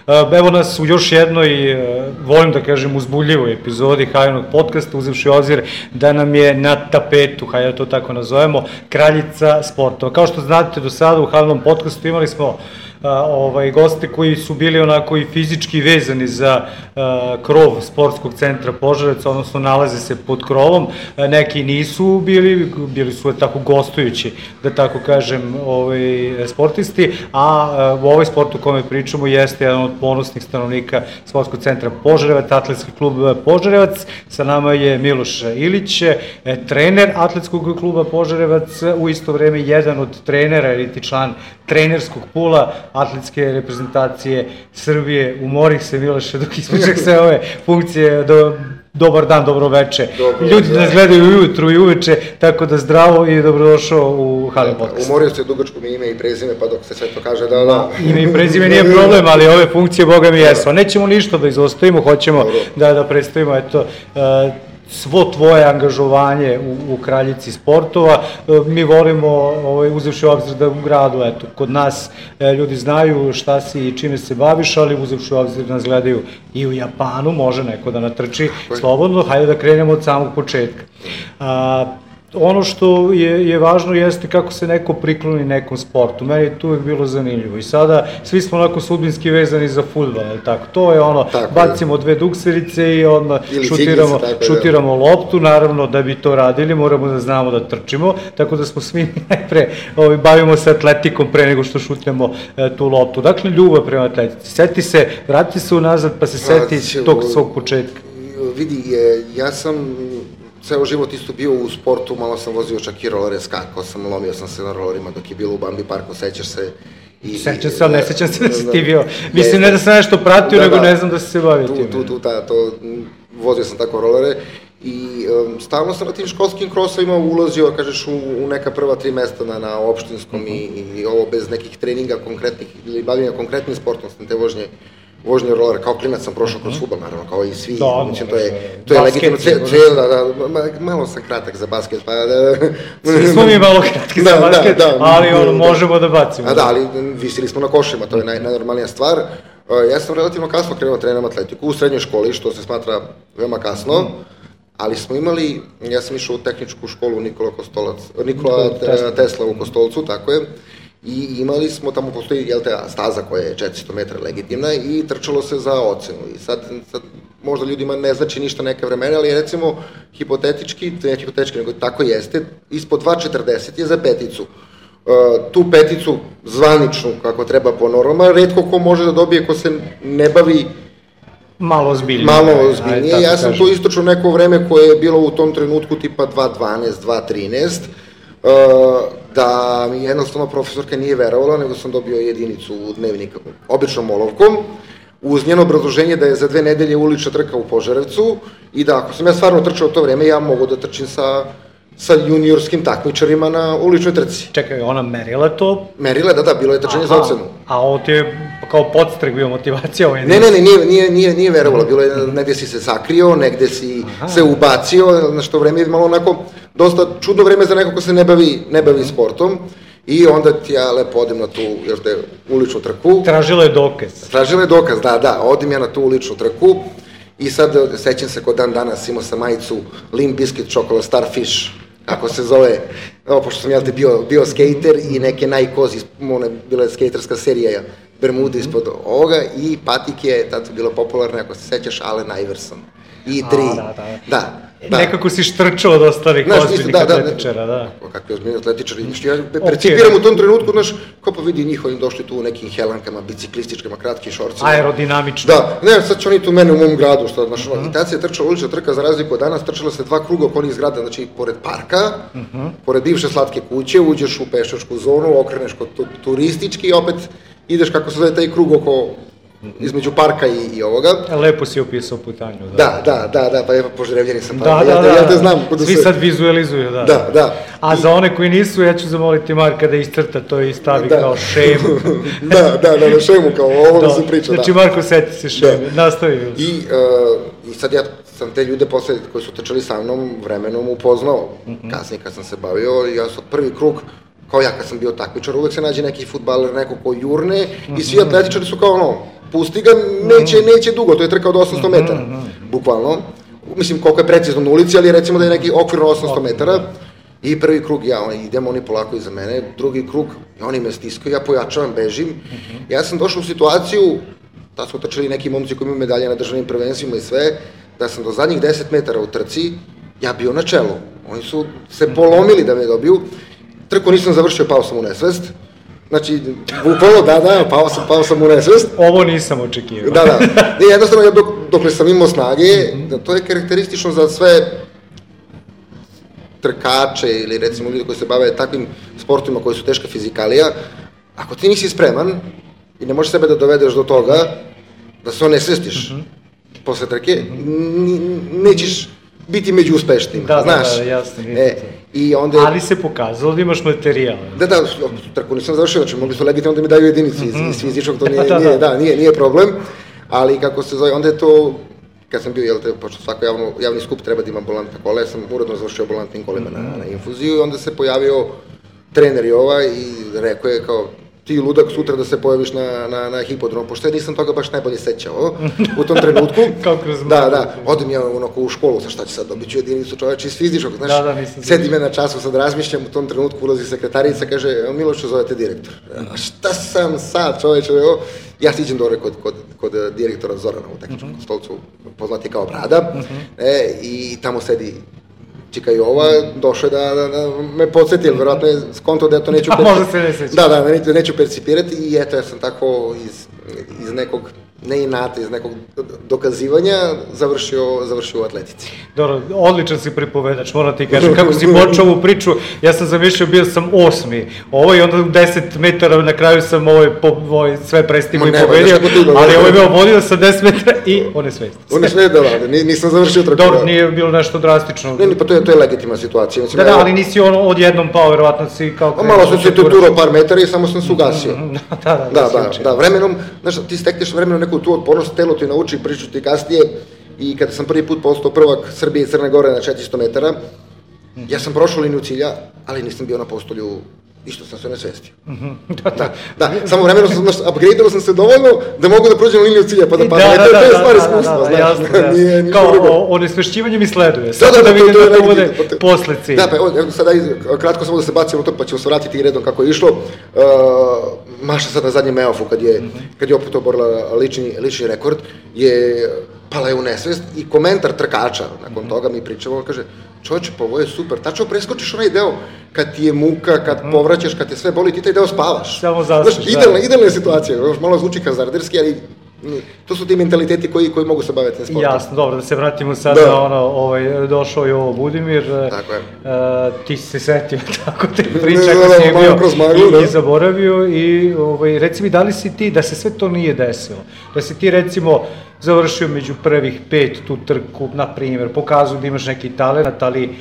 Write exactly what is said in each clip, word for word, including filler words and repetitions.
Evo nas u još jednoj, volim da kažem, uzbuljivoj epizodi Haljinog podcasta, uzevši obzir da nam je na tapetu, hajde da to tako nazovemo, kraljica sportova. Kao što znate, do sada u Haljinom podcastu imali smo ovaj, goste koji su bili onako i fizički vezani za uh, krov sportskog centra Požarevac, odnosno nalaze se pod krovom, neki nisu bili, bili su tako gostujući, da tako kažem, ovaj, sportisti, a uh, u ovoj sportu o kome pričamo jeste jedan od ponosnih stanovnika sportskog centra Požarevac, atletski klub Požarevac. Sa nama je Miloš Ilić, trener atletskog kluba Požarevac, u isto vreme jedan od trenera ili ti član trenerskog pula atletske reprezentacije Srbije. Umorih se, Miloše, dok ispričak sve ove funkcije. Do, dobar dan, dobro veče. Dobro, ljudi nas gledaju ujutru i uveče, tako da zdravo i dobrodošao u Halin podcast. Umorio se dugačko mi ime i prezime, pa dok se sve to kaže da... da. Ime i prezime nije problem, ali ove funkcije, boga mi jesu. Nećemo ništa da izostavimo, hoćemo da, da predstavimo, eto, uh, svo tvoje angažovanje u, u kraljici sportova. Mi volimo, ovaj, uzevši obzir da u gradu, eto, kod nas e, ljudi znaju šta si i čime se baviš, ali uzevši obzir da nas gledaju i u Japanu, može neko da natrči slobodno, hajde da krenemo od samog početka. A, ono što je, je važno jeste kako se neko prikloni nekom sportu. Meni je to uvek bilo zanimljivo i sada svi smo onako sudbinski vezani za fudbal, tako? To je ono, tako, bacimo dve dukserice i odmah šutiramo, tako, šutiramo loptu, naravno da bi to radili moramo da znamo da trčimo, tako da smo svi najpre ovaj, bavimo se atletikom pre nego što šutnemo e, tu loptu. Dakle, ljubav prema atletici. Seti se, vrati se unazad pa se seti tog svog početka. Vidi, ja sam ceo život isto bio u sportu, malo sam vozio čak i rolere, skakao sam, lomio sam se na rolerima dok je bilo u Bambi parku, sećaš se. I, sećam se, ali ne sećam se da si ti bio. Mislim, ne da sam nešto pratio, da, nego da, ne znam da si se bavio tim. Tu, tu, ta, to, vozio sam tako rolere i um, stalno sam na tim školskim krosovima ulazio, kažeš, u, u neka prva tri mesta na, na opštinskom uh-huh. i, i ovo bez nekih treninga konkretnih ili bavlja konkretnim sportom, sam te vožnje vožnje rolera, kao klinac sam prošao kroz fudbal, naravno, kao i svi, da, mislim, to je, to je legitimno, ceo, da, da, malo sam kratak za basket, pa da... Svi smo mi malo kratki za basket, da, da, ali ono, možemo da bacimo. A da, ali visili smo na košima, to je naj, najnormalnija stvar. Ja sam relativno kasno krenuo treniram atletiku u srednjoj školi, što se smatra veoma kasno, ali smo imali, ja sam išao u tehničku školu Nikola Kostolac, Nikola Tesla u Kostolcu, tako je, i imali smo, tamo postoji, jel te, staza koja je četiristo metara legitimna i trčalo se za ocenu. I sad, sad možda ljudima ne znači ništa neka vremena, ali recimo, hipotetički, to je hipotetički, nego tako jeste, ispod dva četrdeset je za peticu. Uh, tu peticu zvaničnu, kako treba po normama, retko ko može da dobije ko se ne bavi malo ozbiljnije. Malo ozbiljnije. Ja sam to istočno neko vreme koje je bilo u tom trenutku tipa dva dvanaest, dva trinaest, Uh, da mi jednostavno profesorka nije verovala, nego sam dobio jedinicu u dnevnika, običnom olovkom, uz njeno obrazloženje da je za dve nedelje ulična trka u Požarevcu i da ako sam ja stvarno trčao to vreme, ja mogu da trčim sa, sa juniorskim takmičarima na uličnoj trci. Čekaj, ona merila to? Merila, da, da, bilo je trčanje za ocenu. A ovo ti je kao podstrek bio motivacija? Ovaj ne, ne, ne, nije, nije, nije, nije verovala, bilo je, negde si se sakrio, negde si Aha. se ubacio, na što vreme je malo onako, dosta čudno vreme za neko ko se ne bavi, ne bavi sportom. I onda ti ja lepo odem na tu, jel te, uličnu trku. Tražila je dokaz. Tražila je dokaz, da, da, odem ja na tu uličnu trku i sad sećam se kod dan danas imao sam majicu Limp Bizkit Chocolate Starfish, kako se zove, evo, pošto sam ja te bio, bio skater i neke Nike Oz, ona bila je skaterska serija, Bermuda ispod ovoga i patike, tada su bila popularne, ako se sećaš, Allen Iverson. I tri, A, da, da. da. Da. Nekako si štrčao od ostalih ozbiljnih da, atletičara, da. Da. Kakvi ozbiljni atletičari, ja percipiram u tom trenutku, znaš, kao pa vidi njih, oni došli tu u nekim helankama, biciklističkama, kratkim šorcima. Aerodinamično. Da, ne, sad će oni tu mene u mom gradu, što, znaš, uh-huh. i tad se trčala ulična trka, za razliku od danas, trčala se dva kruga oko onih zgrada, znači, pored parka, uh-huh. pored bivše slatke kuće, uđeš u pešačku zonu, okreneš kod turistički i opet ideš kako se zove taj krug oko između parka i, i ovoga. Lepo si opisao putanju. Da, da, da, da, pa evo Požarevljani sam, pa da, da, ja, da, ja te znam. Svi se... sad vizualizuju, da. Da, da. A I... za one koji nisu, ja ću zamoliti Marka da iscrta to i stavi da. kao šemu. da, da, da, na šemu, kao o ovome se priča, znači, da. Znači, Marko, seti se šeme, da. nastavi. I, uh, I sad ja sam te ljude posle, koji su trčali sa mnom, vremenom upoznao. Mm-hmm. Kasnije kad sam se bavio, ja sam prvi krug, kao ja kad sam bio takmičar, uvek se nađe neki fudbaler, neko ko jurne, mm-hmm. i svi atletičari su kao ono, pusti ga, neće, neće dugo, to je trka od osamsto metara, bukvalno. Mislim, koliko je precizno na ulici, ali recimo da je neki okvirno osamsto metara. I prvi krug, ja, on, idemo oni polako iza mene, drugi krug, i oni me stiskaju, ja pojačavam, bežim. Ja sam došao u situaciju, da smo trčali neki momci koji imaju medalje na državnim prvenstvima i sve, da sam do zadnjih deset metara u trci, ja bio na čelu. Oni su se polomili da me dobiju. Trku nisam završio, pao sam u nesvest. Znači, bukvalno, da, da, pao sam, pao sam u nesvest. Ovo nisam očekivao. Da, da. I jednostavno, ja dok, dokle sam imao snage, da to je karakteristično za sve trkače ili recimo ljudi koji se bave takvim sportovima koji su teška fizikalija. Ako ti nisi spreman i ne možeš sebe da dovedeš do toga, da se onesvestiš posle trke, nećeš biti među uspešnijima, da, znaš. Da, da, jasno, e, i onda... Ali se pokazalo da imaš materijal. Da, da, trku nisam završio, znači mogli su legitimno da mi daju jedinici iz, iz fizičkog, to nije, da, nije, da, nije, nije problem, ali kako se zove, onda je to, kad sam bio, jel te, pošto svako javno, javni skup treba da ima ambulantna kola, ja sam uredno završio ambulantnim kolima na, na infuziju i onda se pojavio trener Jova i rekao je kao, ti ludak sutra da se pojaviš na, na, na hipodromu, pošto ja nisam toga baš najbolje sećao u tom trenutku. Da, da, odem ja onako u školu, sa šta će sad, dobit ću jedinicu čoveče iz fizičkog, znaš, da, da, sedi me na času, sad razmišljam, u tom trenutku ulazi sekretarica, kaže, Milošu, zovete direktor. A šta sam sad, čoveče, evo, ja siđem dole kod, kod, kod direktora Zorana u tehničkom stolcu, poznati kao Brada, e, i tamo sedi Čika Jova, došao je da, da, da me podsjeti, jer verovatno je skonto da ja to neću percipirati. Da, da, neću, neću percipirati i eto, ja sam tako iz, iz nekog, ne inata, iz nekog dokazivanja završio, završio u atletici. Dobro, odličan si pripovedač, moram ti kažem, kako si počeo ovu priču, ja sam zamišljao, bio sam osmi, ovo i onda deset metara, na kraju sam ovaj, po, ovaj sve prestigao i pobedio, ali ovo je bio vodio sa deset metara i on je svest. On je svest, da, da, nisam završio trku. Dobro, nije bilo nešto drastično. Ne, pa to je, to je legitimna situacija. Mislim, da, da, ali nisi ono odjednom pao, verovatno si kao... Malo sam se tuturao par metara i samo sam se ugasio. Da, da, da, da, da, vremenom, znaš, ti stekneš vremenom neku tu otpornost, telo ti nauči, priču ti kasnije i kada sam prvi put postao prvak Srbije i Crne Gore na četiristo metara, ja sam prošao liniju cilja, ali nisam bio na postolju i što sam se onesvestio. Da, da, da, samo vremenom sam, znaš, upgradeao sam se dovoljno da mogu da prođem liniju cilja pa da padam. Da, da, to je da, stvar da, iskustva, da, znaš, jasno, nije ništa kao drugo. onesvešćivanje mi sleduje, Da, samo da, da vidim to je da to bude legitimno. posle cilja. Da, pa evo, sada kratko samo da se bacimo to, pa ćemo se vratiti redom kako je išlo. Maša sad na zadnjem Meofu, kad je, kad je opet oborila lični, lični rekord, je pala je u nesvest i komentar trkača, nakon toga mi pričamo, on kaže, čovječe, pa ovo je super, tačno preskočiš onaj deo kad ti je muka, kad povraćaš, kad te sve boli, ti taj deo spavaš. Samo zaspiš, znaš, idealna, idealna je situacija, malo zvuči hazarderski, ali to su ti mentaliteti koji, koji mogu se baviti na sportom. Jasno, dobro, da se vratimo sad da. na ono, ovaj, došao je ovo Budimir, tako je. Uh, ti si se setio tako te priče, ako si je bio maglu, i, i zaboravio i ovaj, reci mi, da li si ti, da se sve to nije desilo, da si ti recimo završio među prvih pet tu trku, na primjer, pokazuju da imaš neki talent, ali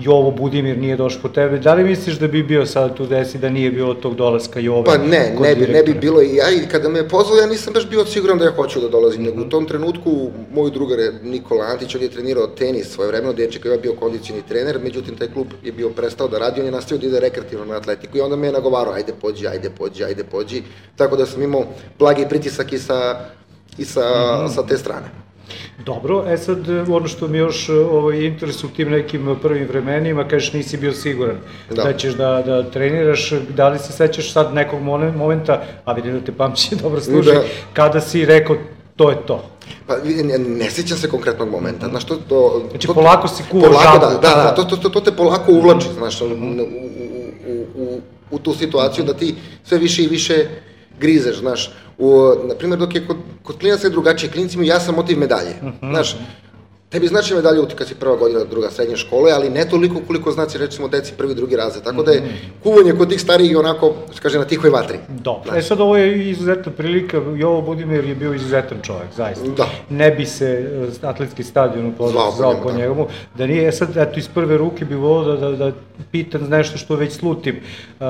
Jovo Budimir nije došao po tebe, da li misliš da bi bio sad tu desi da nije bilo tog dolaska Jove? Pa ne, ne bi, ne bi bilo i ja, i kada me je pozvao, ja nisam baš bio siguran da ja hoću da dolazim, nego u tom trenutku moj drugar je Nikola Antić, on je trenirao tenis svoje vremeno, deček je bio kondicijni trener, međutim taj klub je bio prestao da radi, on je nastavio da ide rekreativno na atletiku i onda me je nagovarao, ajde pođi, ajde pođi, ajde pođi, tako da sam imao blagi pritisak i sa, i sa, mm-hmm. sa te strane. Dobro, e sad ono što mi još ovaj, interesuje u tim nekim prvim vremenima, kažeš nisi bio siguran da, da ćeš da, da treniraš, da li se sećaš sad nekog momenta, a vidim da te pamćenje dobro služi, da. Kada si rekao to je to? Pa ne, ne sećam se konkretnog momenta, znaš to... to znači to, polako si kuvao žabu. Da, da, da, to, to, to, to te polako uvlači, znaš, u, u, u, u, u tu situaciju da ti sve više i više grizeš, znaš. U, na primjer, dok je kod, kod klinaca je drugačije, klinicima ja sam motiv medalje, uh-huh. znaš, tebi znači medalje uti kad si prva godina, druga srednje škole, ali ne toliko koliko znači, recimo, deci prvi, drugi razred, tako da je kuvanje kod tih starijih onako, kaže, na tihoj vatri. Dobro, e sad ovo je izuzetna prilika, Jovo Budimir je bio izuzetan čovjek, zaista. Da. Ne bi se atletski stadion zvao po njemu, da nije, e sad, eto, iz prve ruke bi volio da, da, da pitan za nešto što već slutim. Uh,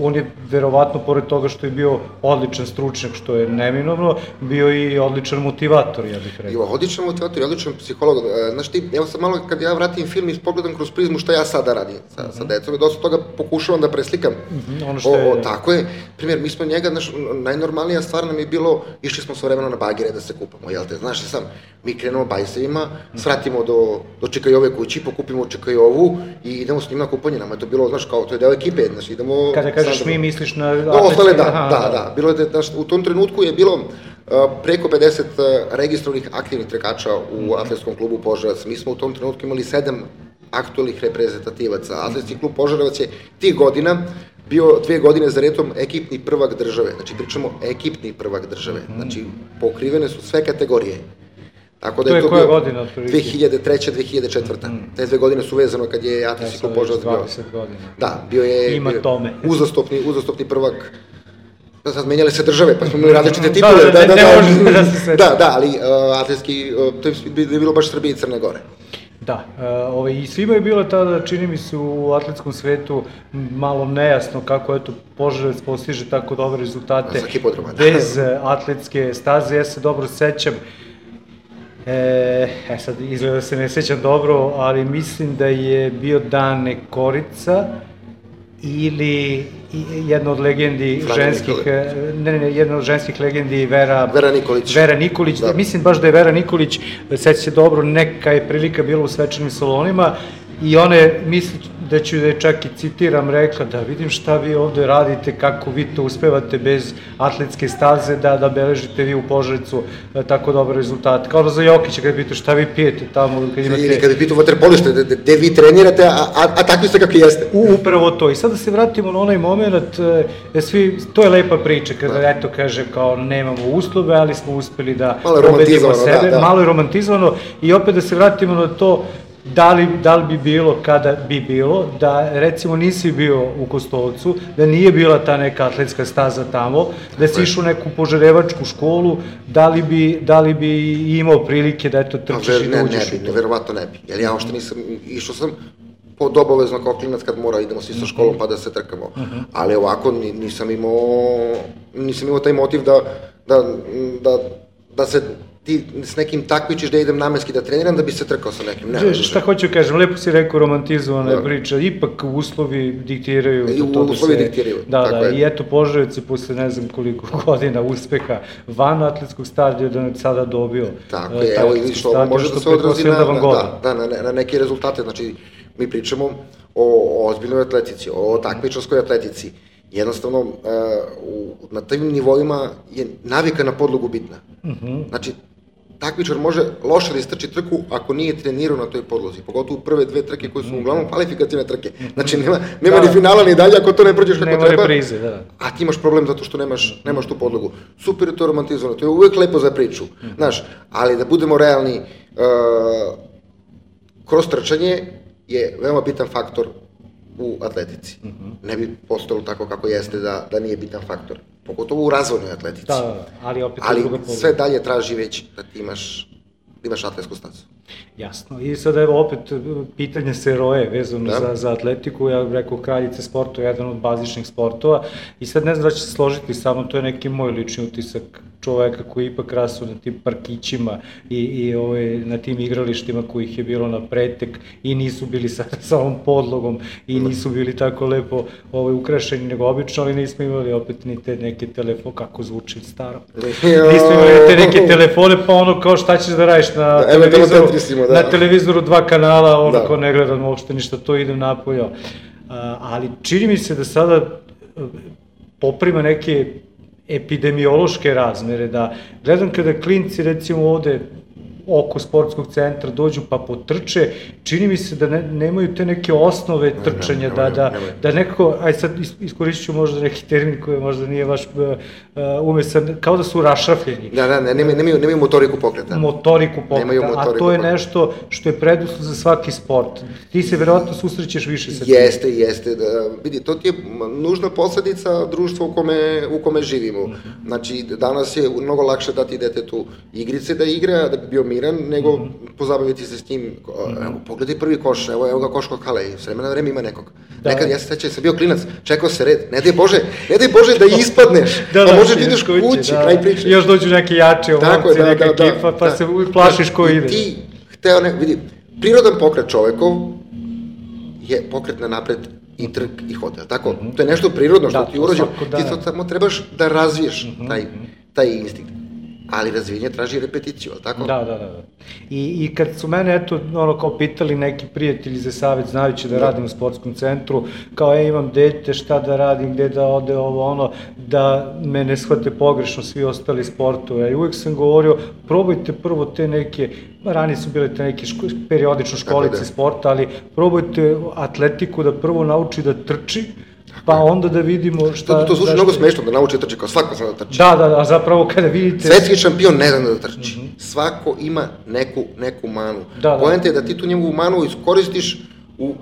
on je verovatno, pored toga što je bio odličan stručnjak, što je neminovno, bio i odličan motivator, ja bih rekao. Jo, odličan motivator i odličan psiholog. Znaš ti, evo sad malo kad ja vratim film i pogledam kroz prizmu šta ja sada radim sa, mm-hmm. sa decom i dosta toga pokušavam da preslikam. Mm-hmm, ono što je... O, o, tako je. Primjer, mi smo njega, znaš, najnormalnija stvar nam je bilo, išli smo svojevremeno na bagire da se kupamo, jel te? Znaš sam, mi krenemo bajsevima, svratimo do, do Čekajove kući, pokupimo Čekajovu i idemo s njima na kupanje. Nama je to bilo, znaš, kao, to je deo ekipe, znaš, idemo... Kada kažeš mi, misliš na... No, ostale, da, aha, da, da. Bilo je, znaš, u tom trenutku je bilo uh, preko pedeset uh, registrovanih aktivnih trkača u atletskom klubu Požarevac. Mi smo u tom trenutku imali sedam aktualnih reprezentativaca. Atletski klub Požarevac je tih godina bio dve godine za redom ekipni prvak države. Znači, pričamo ekipni prvak države. Znači, pokrivene su sve kategorije. Tako da to je to koja bio godina? dve hiljade treće. dve hiljade četvrte. Mm. Te dve godine su vezano kad je Atletski klub Požarevac bio. dvadeset godina. Da, bio je Ima bio tome. uzastopni, uzastopni prvak. Da, sad menjale se države, pa smo imali različite titule. Da, da, da, ne možete da se sveći. Da, da, ali uh, atletski, uh, to je bilo baš Srbije i Crne Gore. Da, ovaj, i svima je bilo tada, čini mi se, u atletskom svetu malo nejasno kako eto Požarevac postiže tako dobre rezultate bez atletske staze. Ja se dobro sećam, e, e sad izgleda da se ne sećam dobro, ali mislim da je bio Dane Korica ili jedna od legendi ženskih, ne, ne, jedna od ženskih legendi Vera, Vera Nikolić. Vera Nikolić, da. Mislim baš da je Vera Nikolić, seća se dobro, neka je prilika bila u svečanim salonima i ona je, mislim da ću da je čak i citiram, rekla da vidim šta vi ovde radite, kako vi to uspevate bez atletske staze, da, da beležite vi u Požarevcu tako dobre rezultate. Kao da za Jokića kad pitao šta vi pijete tamo, kad imate... Ili kad bi pitao vaterpolište, gde vi trenirate, a, a, a takvi ste kakvi jeste. U, upravo to. I sad da se vratimo na onaj moment, e, svi, to je lepa priča, kada da. Eto kaže kao nemamo uslove, ali smo uspeli da pobedimo sebe, da, da. Malo je romantizovano i opet da se vratimo na to Da li, da li bi bilo, kada bi bilo, da recimo nisi bio u Kostolcu, da nije bila ta neka atletska staza tamo, da si išao u neku požarevačku školu, da li bi, da li bi imao prilike da eto trčiš i da uđeš u to? Ne, ne, verovatno ne bi, jer ja ošte nisam, išao sam pod obavezno kao klinac kad mora idemo svi sa školom pa da se trkamo, ali ovako nisam imao, nisam imao taj motiv da, da, da, da se ti s nekim takmičiš da idem namenski da treniram da bi se trkao sa nekim. Ne, šta hoću kažem, lepo si rekao romantizovana da. Priča, ipak uslovi diktiraju. I to uslovi da se, diktiraju. Da, da, je. I eto Požarevac je posle ne znam koliko godina uspeha van atletskog stadiona sada dobio. Tako je, evo i što ovo može da se odrazi na, da, da, na, na neke rezultate, znači mi pričamo o, o ozbiljnoj atletici, o takmičarskoj atletici. Jednostavno, uh, u, na tim nivoima je navika na podlogu bitna. Uh-huh. Znači, takmičar može loše da istrči trku ako nije trenirao na toj podlozi, pogotovo prve dve trke koje su uh-huh. uglavnom kvalifikativne trke. Znači, nema, nema da, ni finala ni dalje ako to ne prođeš kako nema treba. Nema reprize, da. A ti imaš problem zato što nemaš, nemaš tu podlogu. Super je to romantizovano, to je uvek lepo za priču, uh-huh. znaš, ali da budemo realni, uh, kroz trčanje je veoma bitan faktor u atletici. Uh-huh. Ne bi postalo tako kako jeste da, da nije bitan faktor. Pogotovo u razvojnoj atletici. Da, ali opet ali druga podloga. Sve dalje traži već da ti imaš, da imaš atletsku stazu. Jasno. I sad evo opet pitanje seroje vezano da. za, za atletiku. Ja bih rekao kraljice sportova, jedan od bazičnih sportova. I sad ne znam da će se složiti samo, to je neki moj lični utisak čoveka koji ipak rasu na tim parkićima i, i ovaj, na tim igralištima kojih je bilo na pretek i nisu bili sa, sa ovom podlogom i nisu bili tako lepo ovaj, ukrašeni nego obično, ali nismo imali opet ni te neke telefone, kako zvuči staro. Nismo imali te neke telefone, pa ono kao šta ćeš da radiš na da, televizoru, da. na televizoru dva kanala, ono da. Ko ne gledam uopšte ništa, to idem napolje. Uh, ali čini mi se da sada poprima neke epidemiološke razmere, da gledam kada klinci recimo ovde oko sportskog centra dođu pa potrče, čini mi se da ne, nemaju te neke osnove trčanja, da, da, da nekako, aj sad iskoristit ću možda neki termin koji možda nije baš uh, umesan, kao da su rašrafljeni. Da, da, ne, nemaju, nemaju, nemaju motoriku pokreta. Motoriku pokreta, motoriku a to je nešto što je preduslov za svaki sport. Ti se verovatno susrećeš više sa tim. Jeste, jeste. Da, vidi, to ti je nužna posledica društva u kome, u kome živimo. Znači, danas je mnogo lakše dati detetu igrice da igra, da bi bio mir programiran, nego mm-hmm. pozabaviti se s njim. Mm-hmm. Evo, pogledaj prvi koš, evo, evo ga koš kod Hale, s vremena na vreme ima nekog. Da. Nekad, ja se sećam, sam bio klinac, čekao se red, ne daj Bože, ne daj Bože da ispadneš, da, pa da, možeš da ideš kući, da, kraj priče. Još dođu neki jači ovomci, da, neka da, ekipa, da, pa da, se plašiš ko ide. Ti, hteo ne, vidi, prirodan pokret čovekov je pokret na napred i trk i hod, tako? Mm-hmm. To je nešto prirodno što da, ti urođeno, ti to samo trebaš da razviješ mm-hmm. taj, taj instinkt. Ali razvijenje traži repeticiju, ali tako? Da, da, da. I, i kad su mene, eto, ono, kao pitali neki prijatelji za savjet, znajući da, da radim u sportskom centru, kao, ja imam dete, šta da radim, gde da ode ovo, ono, da me ne shvate pogrešno svi ostali sportove. I uvijek sam govorio, probajte prvo te neke, ranije su bile te neke ško, periodično školice da. sporta, ali probajte atletiku da prvo nauči da trči, pa onda da vidimo šta... To, to zvuči mnogo smešno da nauči da trči, kao svako zna da trči. Da, da, da, zapravo kada vidite... Svetski šampion ne zna da trči. Mm-hmm. Svako ima neku, neku manu. Da, da. Poenta je da ti tu njegovu manu iskoristiš u,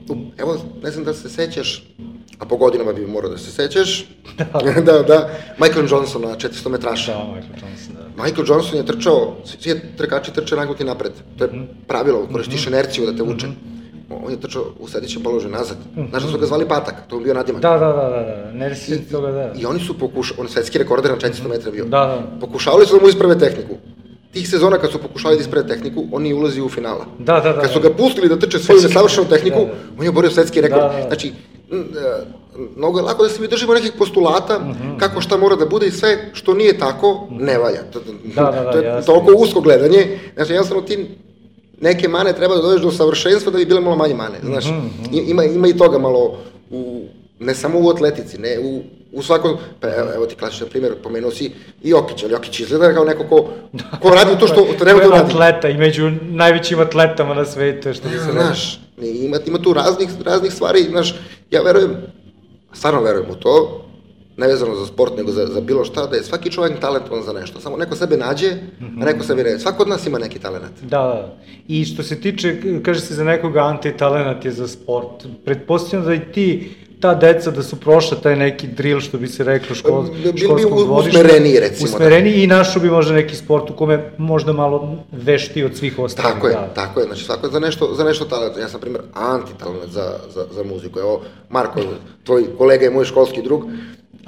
u... Evo, ne znam da se sećaš, a po godinama bi morao da se sećaš. Da, da, da. Michael Johnson na četiristo metraša. Da, Michael Johnson, da. Michael Johnson je trčao, svi trkači trče nagnuti napred. To je pravilo, koristiš mm-hmm. inerciju da te vuče. Mm-hmm. On je trčao u sledećem položaju nazad. Znaš da su ga zvali Patak, to je bio nadimak. Da, da, da, da, ne resim toga, da. I oni su pokušali, on je svetski rekorder na četiristo metra bio. Da, da. Pokušavali su da mu isprave tehniku. Tih sezona kad su pokušali da isprave tehniku, on nije ulazio u finala. Da, da, da. Kad su ga pustili da trče svoju nesavršenu tehniku, on je oborio svetski rekord. Znači, mnogo je lako da se mi držimo nekih postulata, kako šta mora da bude i sve što nije tako, ne valja. To je toliko usko gledanje. Znači, jednostavno ti neke mane treba da dođeš do savršenstva da bi bile malo manje mane, znaš. Mm-hmm. Ima, ima i toga malo, u, ne samo u atletici, ne, u, u svakom, pa evo ti klasičan primjer, pomenuo si i Jokić, ali Jokić izgleda kao neko ko, ko radi to što treba da radi. Atleta i među najvećim atletama na svetu, što bi se radi. Znaš, ima, ima tu raznih, raznih stvari, znaš, ja verujem, stvarno verujem u to, ne vezano za sport, nego za, za bilo šta, da je svaki čovjek talentovan za nešto. Samo neko sebe nađe, mm-hmm. a neko sebe ne. Svako od nas ima neki talent. Da, da. I što se tiče, kaže se za nekoga anti-talent je za sport. Pretpostavljam da i ti, ta deca da su prošla taj neki drill, što bi se reklo, škol, školskog dvorišta. Usmereniji, recimo. Usmereniji da. I našo bi možda neki sport u kome možda malo vešti od svih ostalih. Tako je, da. tako je. Znači, svako je za nešto, za nešto talent. Ja sam, primjer, anti-talent za, za, za muziku. Evo, Marko, tvoj kolega je moj školski drug.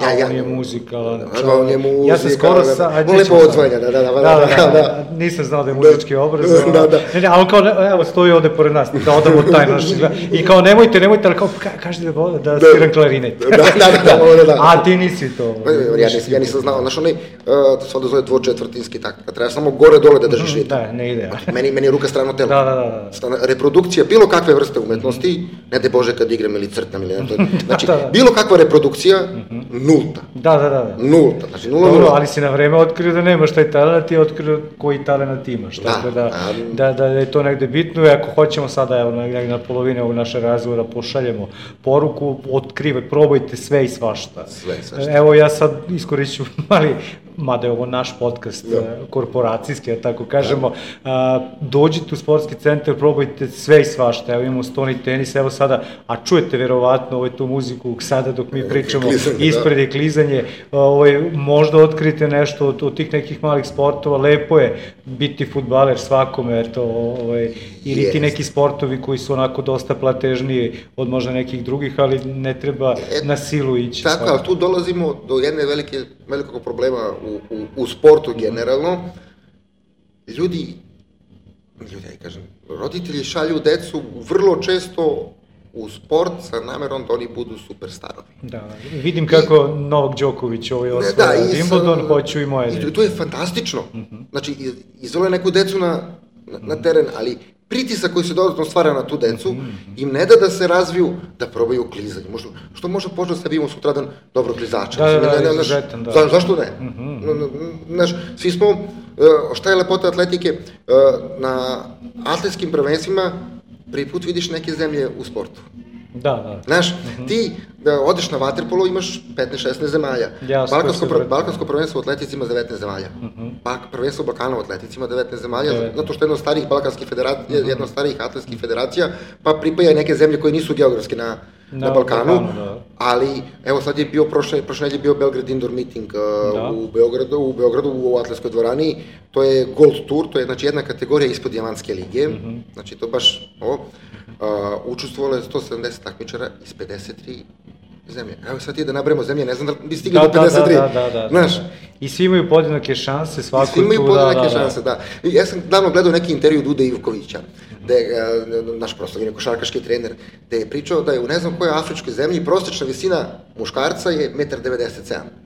Ja, ja, on je muzikalan čovjek. On je muzikalan. Ja sam skoro sa... On lepo odzvanja, da, da, da, da, da, da. Nisam znao da je muzički obrazovan. Da, da. Ne, ne, ali kao, evo, stoji ovde pored nas, da odamo taj naš... I kao, nemojte, nemojte, ali kao, kažete da, da sviram klarinet. Da, da, da, da, da. A ti nisi to. Ja, nis, ja nisam znao, znaš, onaj, to se ovde zove dvočetvrtinski tak, kad treba samo gore-dole da držiš ritam. Da, ne ide. Meni, meni je ruka strano telo. Da, da, da. Reprodukcija, bilo kakve vrste umetnosti, ne de Bože kad igram ili crtam ili nešto. Znači, bilo kakva reprodukcija, nulta. Da, da, da. Nulta, znači nula, Dobro, nula. Ali si na vreme otkrio da nemaš taj talent i otkrio koji talent imaš. Da, tako da, da, da je to negde bitno i ako hoćemo sada, evo, negde na polovini ovog naše razgovora pošaljemo poruku, otkrivaj, probajte sve i svašta. Sve i svašta. Evo ja sad iskoriću mali, mada je ovo naš podcast, da. korporacijski, ja tako kažemo, a, dođite u sportski centar, probajte sve i svašta, evo imamo stoni tenis, evo sada, a čujete verovatno ovaj tu muziku sada dok mi pričamo, klizanje, ispred je klizanje, ovaj, možda otkrite nešto od, od tih nekih malih sportova, lepo je biti fudbaler svakome, eto, ovaj, ili yes. ti neki sportovi koji su onako dosta platežniji od možda nekih drugih, ali ne treba e, na silu ići. Tako, ali tu dolazimo do jedne velike, velikog problema u, u, u sportu generalno. Ljudi, ljudi, ja kažem, roditelji šalju decu vrlo često u sport sa namerom da oni budu superstarovi. Da, vidim kako I, Novak Đoković ovaj osvaja da, Wimbledon, hoću i moje. I to je fantastično. Uh-huh. Znači, izvole neku decu na, na, na teren, ali pritisak koji se dodatno stvara na tu decu, uh-huh. im ne da da se razviju, da probaju klizanje. Možda, što može početi da se vidimo sutradan dobro klizača. Da, da, da, ne, izuzetan, da. Za, zašto ne? Uh-huh. Znaš, svi smo, šta je lepota atletike, na atletskim prvenstvima prvi put vidiš neke zemlje u sportu. Da, da. Znaš, uh-huh. ti da odeš na vaterpolo, imaš petnaest šesnaest zemalja. Jasno, Balkansko, pr- Balkansko prvenstvo u atletici ima devetnaest zemalja. Uh-huh. Bak, prvenstvo Balkana u atletici ima devetnaest zemalja, devetnaest. Zato što je jedno od starijih balkanskih federacija, uh-huh. jedno od starijih atletskih federacija, pa pripaja neke zemlje koje nisu geografski na, na, na Balkanu, Balkanu ali evo sad je bio, prošle, prošle nedelje bio Belgrade Indoor Meeting uh, u Beogradu, u Beogradu u Atletskoj dvorani, to je Gold Tour, to je znači jedna kategorija ispod Dijamantske lige, mm -hmm. znači to baš ovo, uh, učestvovalo je sto sedamdeset takmičara iz pedeset tri zemlje. Evo sad ti da nabremo zemlje, ne znam da bi stigli da, do pedeset tri. Da, da, da, da, znaš. I svi imaju podjednake šanse, svako tu, I svi imaju podjednake da, da, šanse, da. da. Ja sam davno gledao neki intervju Dude Ivkovića, gde je naš proslavljeni košarkaški trener, gde je pričao da je u ne znam kojoj afričkoj zemlji prosječna visina muškarca je jedan devedeset sedam metara.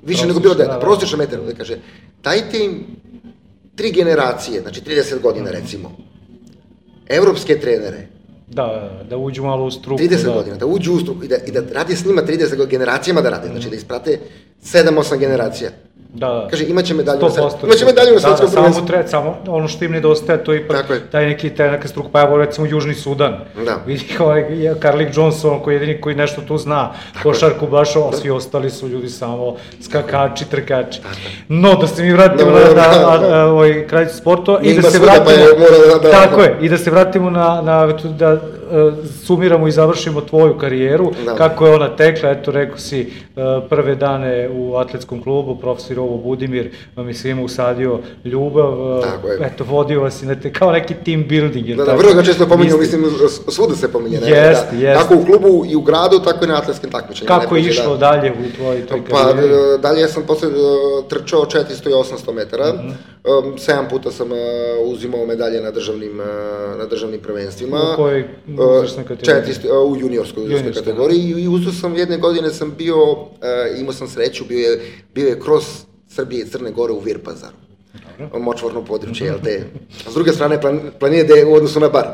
Više nego bilo deda, prosječna metar, da kaže, dajte im tri generacije, znači trideset godina recimo, evropske trenere, Da, da uđu malo u struku. trideset da. godina, da uđu u struku i da, i da radi s njima trideset generacijama da rade, znači da isprate sedam osam generacija. Da, kaže, imaće medalju na svetskom, imaće medalju na svetskom prvenstvu. Da, da, samo, samo ono što im nedostaje, to je ipak taj neki, taj neka struka, pa evo recimo Južni Sudan. Da. Vidi ovaj Carlik Johnson, koji je jedini koji nešto tu zna, košarku baš, a svi ostali su ljudi samo skakači, trkači. No, da se mi vratimo na, na ovaj kraljicu sportova i da se vratimo, tako je, i da se vratimo na, na da sumiramo i završimo tvoju karijeru, kako je ona tekla, eto, rekao si, prve dane u atletskom klubu, profesor Ovo Budimir vam je svima usadio ljubav, eto, vodio vas i na te, kao neki team building. Da, da, vrlo ga često pominjamo, mislim, svuda se pominje, ne? Jest, jest. Kako u klubu i u gradu, tako i na atletskim takmičenjima. Kako je išlo dalje u tvojoj toj karijeri? Pa, dalje ja sam posle trčao četiristo i osamsto metara, sedam puta sam uzimao medalje na državnim, na državnim prvenstvima. U kojoj uzrasnoj kategoriji? četiristo, u juniorskoj uzrasnoj kategoriji i uzeo sam, jedne godine sam bio, imao sam sreću, bio je, bio je cross Srbije i Crne Gore u Virpazaru, močvarno područje, jel te? S druge strane, planine gde je u odnosu na Bar.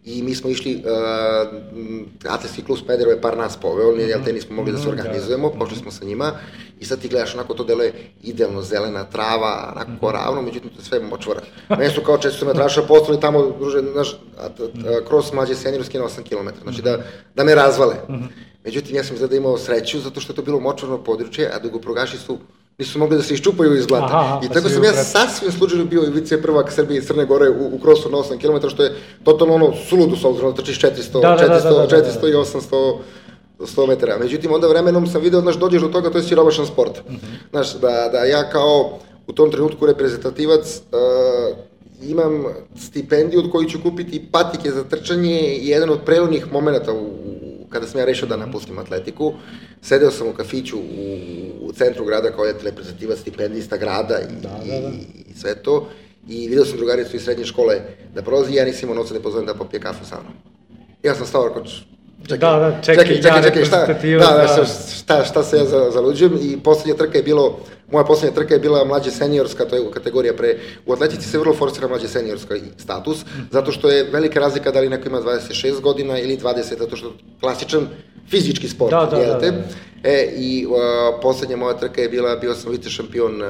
I mi smo išli, uh, Atletski klub Smederevo je par nas poveo, jel te, nismo mogli da se organizujemo, pošli smo sa njima i sad ti gledaš, onako to deluje idealno, zelena trava, onako ravno, međutim to je sve močvara. Meni su kao često metraša postali tamo, druže, znaš, cross mlađe seniorski na osam kilometara, znači da, da me razvale. Međutim, ja sam izgleda imao sreću, zato što je to bilo močvarno područje, a dugoprogaši su nisu mogli da se iščupaju iz blata. Aha, i tako sam ja sasvim slučajno bio i vice prvak Srbije i Crne Gore u, u krosu na osam kilometara, što je totalno ono suludo, s obzirom da trčiš četiristo, da, četiristo, da, da, da, četiristo i osamsto sto metara. Međutim, onda vremenom sam video, znaš, dođeš do toga, to je siromašan sport. Uh -huh. Znaš, da, da ja kao u tom trenutku reprezentativac uh, imam stipendiju od koju ću kupiti patike za trčanje i jedan od prelomnih momenta u kada sam ja rešio da napustim atletiku, sedeo sam u kafiću u, u centru grada kao jedan reprezentativac, stipendista grada i, da, da, da. i, i sve to. I video sam drugaricu iz srednje škole da prolazi i ja nisam imao novca da pozovem da popije kafu sa mnom. Ja sam stao, čekaj, da, da, čekaj, čekaj, čekaj, čekaj, šta, da, da, šta, šta se ja za, zaluđujem i poslednja trka je bilo, moja poslednja trka je bila mlađe seniorska, to je kategorija pre, u atletici se vrlo forsira mlađe seniorska status, zato što je velika razlika da li neko ima dvadeset šest godina ili dvadeset, zato što je klasičan fizički sport, da, da, jelte? Da, da, da. E, i uh, poslednja moja trka je bila, bio sam vice šampion uh,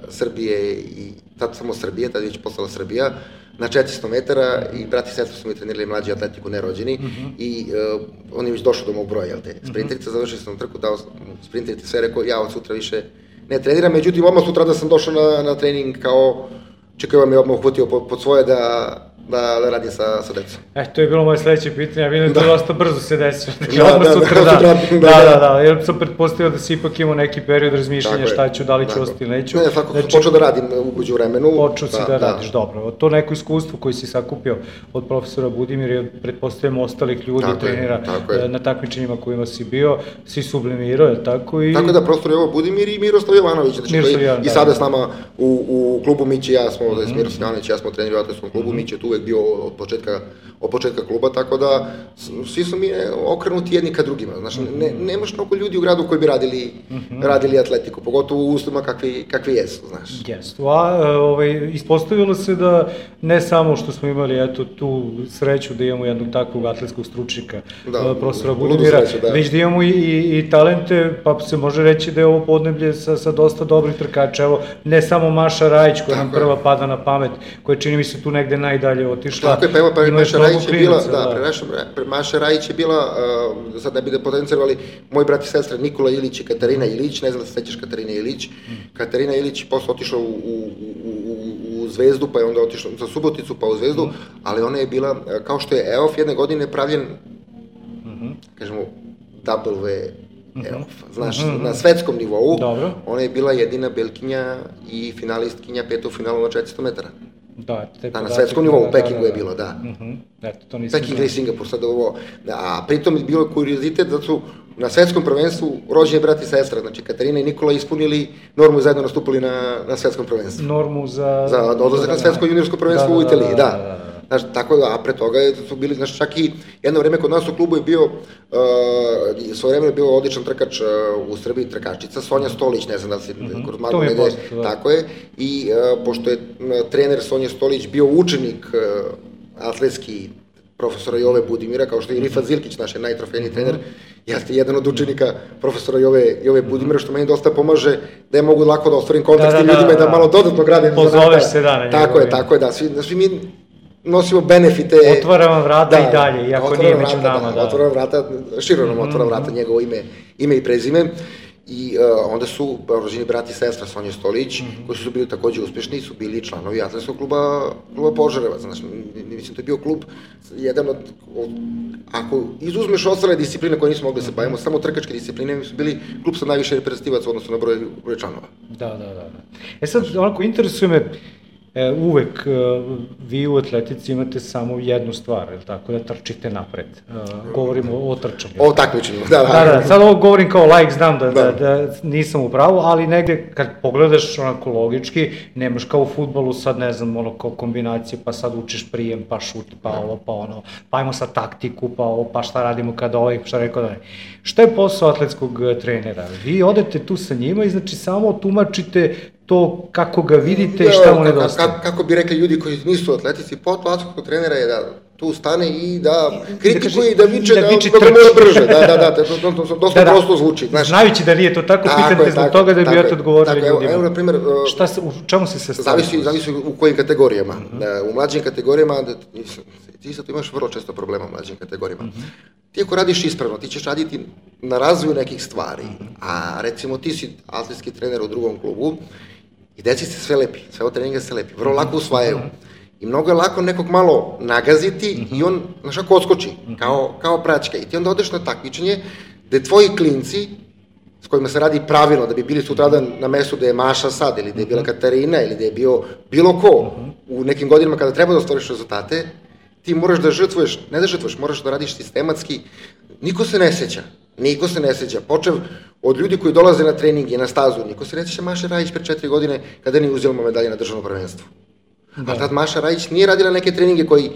Srbije i tad samo Srbije, tad je već postala Srbija, na četiristo metara i brat i sestra su mi trenirali mlađi atletiku, nerođeni, uh -huh. i uh, on je već došao do mog broja, jel te? Sprinterica, završio sam trku, dao sprinterica sve, rekao, ja od sutra više ne treniram, međutim, odmah sutra da sam došao na, na trening kao, čekaj, vam je odmah uhvatio pod, pod svoje da, da, da radim sa, sa decom. E, to je bilo moje sledeće pitanje, ja vidim da to dosta brzo se desi, da, odmah da, sutra, da, da, da, da, da, da, jer sam pretpostavio da si ipak imao neki period razmišljanja šta ću, da li ću ostati ili neću. Ne, tako, znači, počeo da radim umeđu vremenu. Počeo si da, da radiš, da. Dobro. To neko iskustvo koji si sakupio od profesora Budimira i pretpostavljamo ostalih ljudi, tako trenera je, na takmičenjima kojima si bio, si sublimirao, je tako? I... Tako da profesor je ovo Budimir i Miroslav Jovanović, znači Miroslav Jovan, i sada da, s nama u, u klubu Mići, ja smo, mm -hmm. Miroslav Jovanović, ja smo treneri u atletskom klubu, mm -hmm. Mići je tu uvek bio od početka od početka kluba, tako da svi su mi okrenuti jedni ka drugima, znaš, ne, nemaš mnogo ljudi u gradu koji bi radili, uh -huh. radili atletiku, pogotovo u uslovima kakvi, kakvi jesu, znaš. Jesu, a ovaj, ispostavilo se da ne samo što smo imali eto, tu sreću da imamo jednog takvog atletskog stručnika, da, profesora Budimira, da. Već da imamo i, i, i talente, pa se može reći da je ovo podneblje sa, sa dosta dobrih trkača, evo, ne samo Maša Rajić koja nam prva pada na pamet, koja čini mi se tu negde najdalje otišla. Tako je, pa evo, pa Maša Rajić je bila, da, pre Maša Rajić je bila, uh, sad ne bi da potencirali, moj brat i sestra Nikola Ilić i Katarina Ilić, ne znam da se sećaš Katarine Ilić, mm. Katarina Ilić posle otišla u, u, u, u Zvezdu, pa je onda otišla za Suboticu, pa u Zvezdu, mm. ali ona je bila, kao što je E O F jedne godine pravljen, mm -hmm. kažemo, W Mhm. Znaš, Mhm. na svetskom nivou, Dobro. ona je bila jedina Belkinja i finalistkinja petog finalu na četiristo metara. Da, te Da, na podatak- svetskom nivou, da, u da, Pekingu da, je da. bilo, da. Mhm. Eto, to nisam Peking znao. ili Singapur, sad ovo, da, a pritom je bilo kuriozitet da su na svetskom prvenstvu rođeni brat i sestra, znači Katarina i Nikola ispunili normu i zajedno nastupali na, na svetskom prvenstvu. Normu za... Za odlazak na svetsko juniorsko prvenstvo Da, u da, Italiji, da, da. da, da, da. Znaš, tako da, a pre toga je- su bili, znaš, čak i jedno vreme kod nas u klubu je bio, uh, svoje vreme je bio odličan trkač uh, u Srbiji, trkačica, Sonja Stolić, ne znam da li si Mhm. kroz To Magu mi je negde, poznato, da. tako je, i uh, pošto je m, trener Sonja Stolić bio učenik uh, atletski profesora Jove Budimira, kao što je i Rifat Zilkić, naš je najtrofejniji Mhm. trener, ja ste jedan od učenika profesora Jove, Jove Budimira, što meni dosta pomaže da je mogu lako da ostvarim kontakt s Da, tim da, da, ljudima i da da. malo dodatno gradim. Pozoveš zanata. se, da, na Tako njegovo je, ime. tako je, da, svi, da, svi mi nosimo benefite. Otvara vam vrata i dalje, iako otvara nije vam među vrata, nama, da. Otvara vam vrata, širo nam otvara vrata njegovo ime, ime i prezime. I uh, onda su rođeni brat i sestra Sonja Stolić, Mhm. koji su bili takođe uspešni, su bili članovi atletskog kluba, kluba Požarevac. Znaš, mislim, to je bio klub, jedan od, od ako izuzmeš ostale discipline koje nismo mogli da se bavimo, samo trkačke discipline, mi su bili klub sa najviše reprezentativaca u odnosu na broj, broj članova. Da, da, da. da. E sad, onako, interesuje me, e, uvek e, vi u atletici imate samo jednu stvar, je li tako, da trčite napred. E, govorimo o trčanju. O takmičenju, da, da. Da, da, sad ovo govorim kao laik, znam da, da. Da. da nisam u pravu, ali negde kad pogledaš onako logički, nemaš kao u fudbalu sad, ne znam, ono kao kombinacije, pa sad učiš prijem, pa šut, pa ovo, pa ono, pa ajmo sad taktiku, pa ovo, pa šta radimo kada ovaj, šta rekao da ne. Šta je posao atletskog e, trenera? Vi odete tu sa njima i znači samo tumačite to kako ga vidite i šta mu Ka- nedostaje. ka- Kako bi rekli ljudi koji nisu atletici, posao atletskog trenera je da tu stane i da kritikuje i da viče da da, viče da, da trči. mora brže, da, da, da, to, to, to, to dosta Da, da. prosto zvuči, znaš. Znajući da nije to tako, Tako pitate je, zbog tako, toga da bi tako eto je. odgovorili Tako, evo- ljudima. evo, na primer, uh, Šta se, u čemu se se Zavisi, zavisi u kojim kategorijama. Da, u mlađim kategorijama, da, ti sad imaš vrlo često problema u mlađim kategorijama. Ti ako radiš ispravno, ti ćeš raditi na razvoju nekih stvari, a recimo ti si atletski trener u drugom klubu i deci se sve lepi, sve od treninga se lepi, vrlo lako usvajaju. I mnogo je lako nekog malo nagaziti i on, znaš, ako odskoči, kao, kao praćka. I ti onda odeš na takmičenje gde tvoji klinci, s kojima se radi pravilno, da bi bili sutradan na mestu gde je Maša sad, ili gde je bila Katarina, ili gde je bio bilo ko, u nekim godinama kada treba da ostvariš rezultate, ti moraš da žrtvuješ, ne da žrtvuješ, moraš da radiš sistematski. Niko se ne seća, niko se ne seća. Počev od ljudi koji dolaze na trening i na stazu, niko se ne seća Maše Rajić pre četiri godine kada nije uzela medalje na državnom prvenstvu. A tad Maša Rajić nije radila neke treninge koji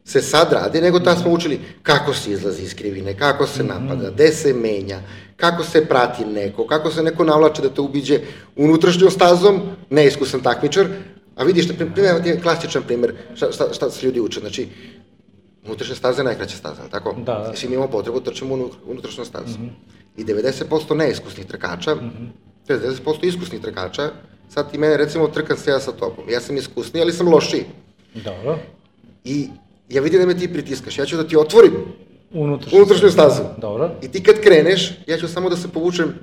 se sad rade, nego tad smo učili kako se izlazi iz krivine, kako se napada, gde se menja, kako se prati neko, kako se neko navlače da te ubiđe unutrašnjom stazom, neiskusan takmičar, a vidiš, primjer, ti je klasičan primer šta, šta, šta se ljudi uče, znači, unutrašnja staza je najkraća staza, ali tako? Da, da. I svi mi imamo potrebu da trčimo u unutrašnju stazu. I devedeset posto neiskusnih trkača, to je devedeset posto iskusnih trkača, sad ti mene, recimo, trkam se ja sa tobom, ja sam iskusniji, ali sam lošiji. Dobro. I ja vidim da me ti pritiskaš, ja ću da ti otvorim Unutrašnju, unutrašnju stazu. Dobro. I ti kad kreneš, ja ću samo da se povučem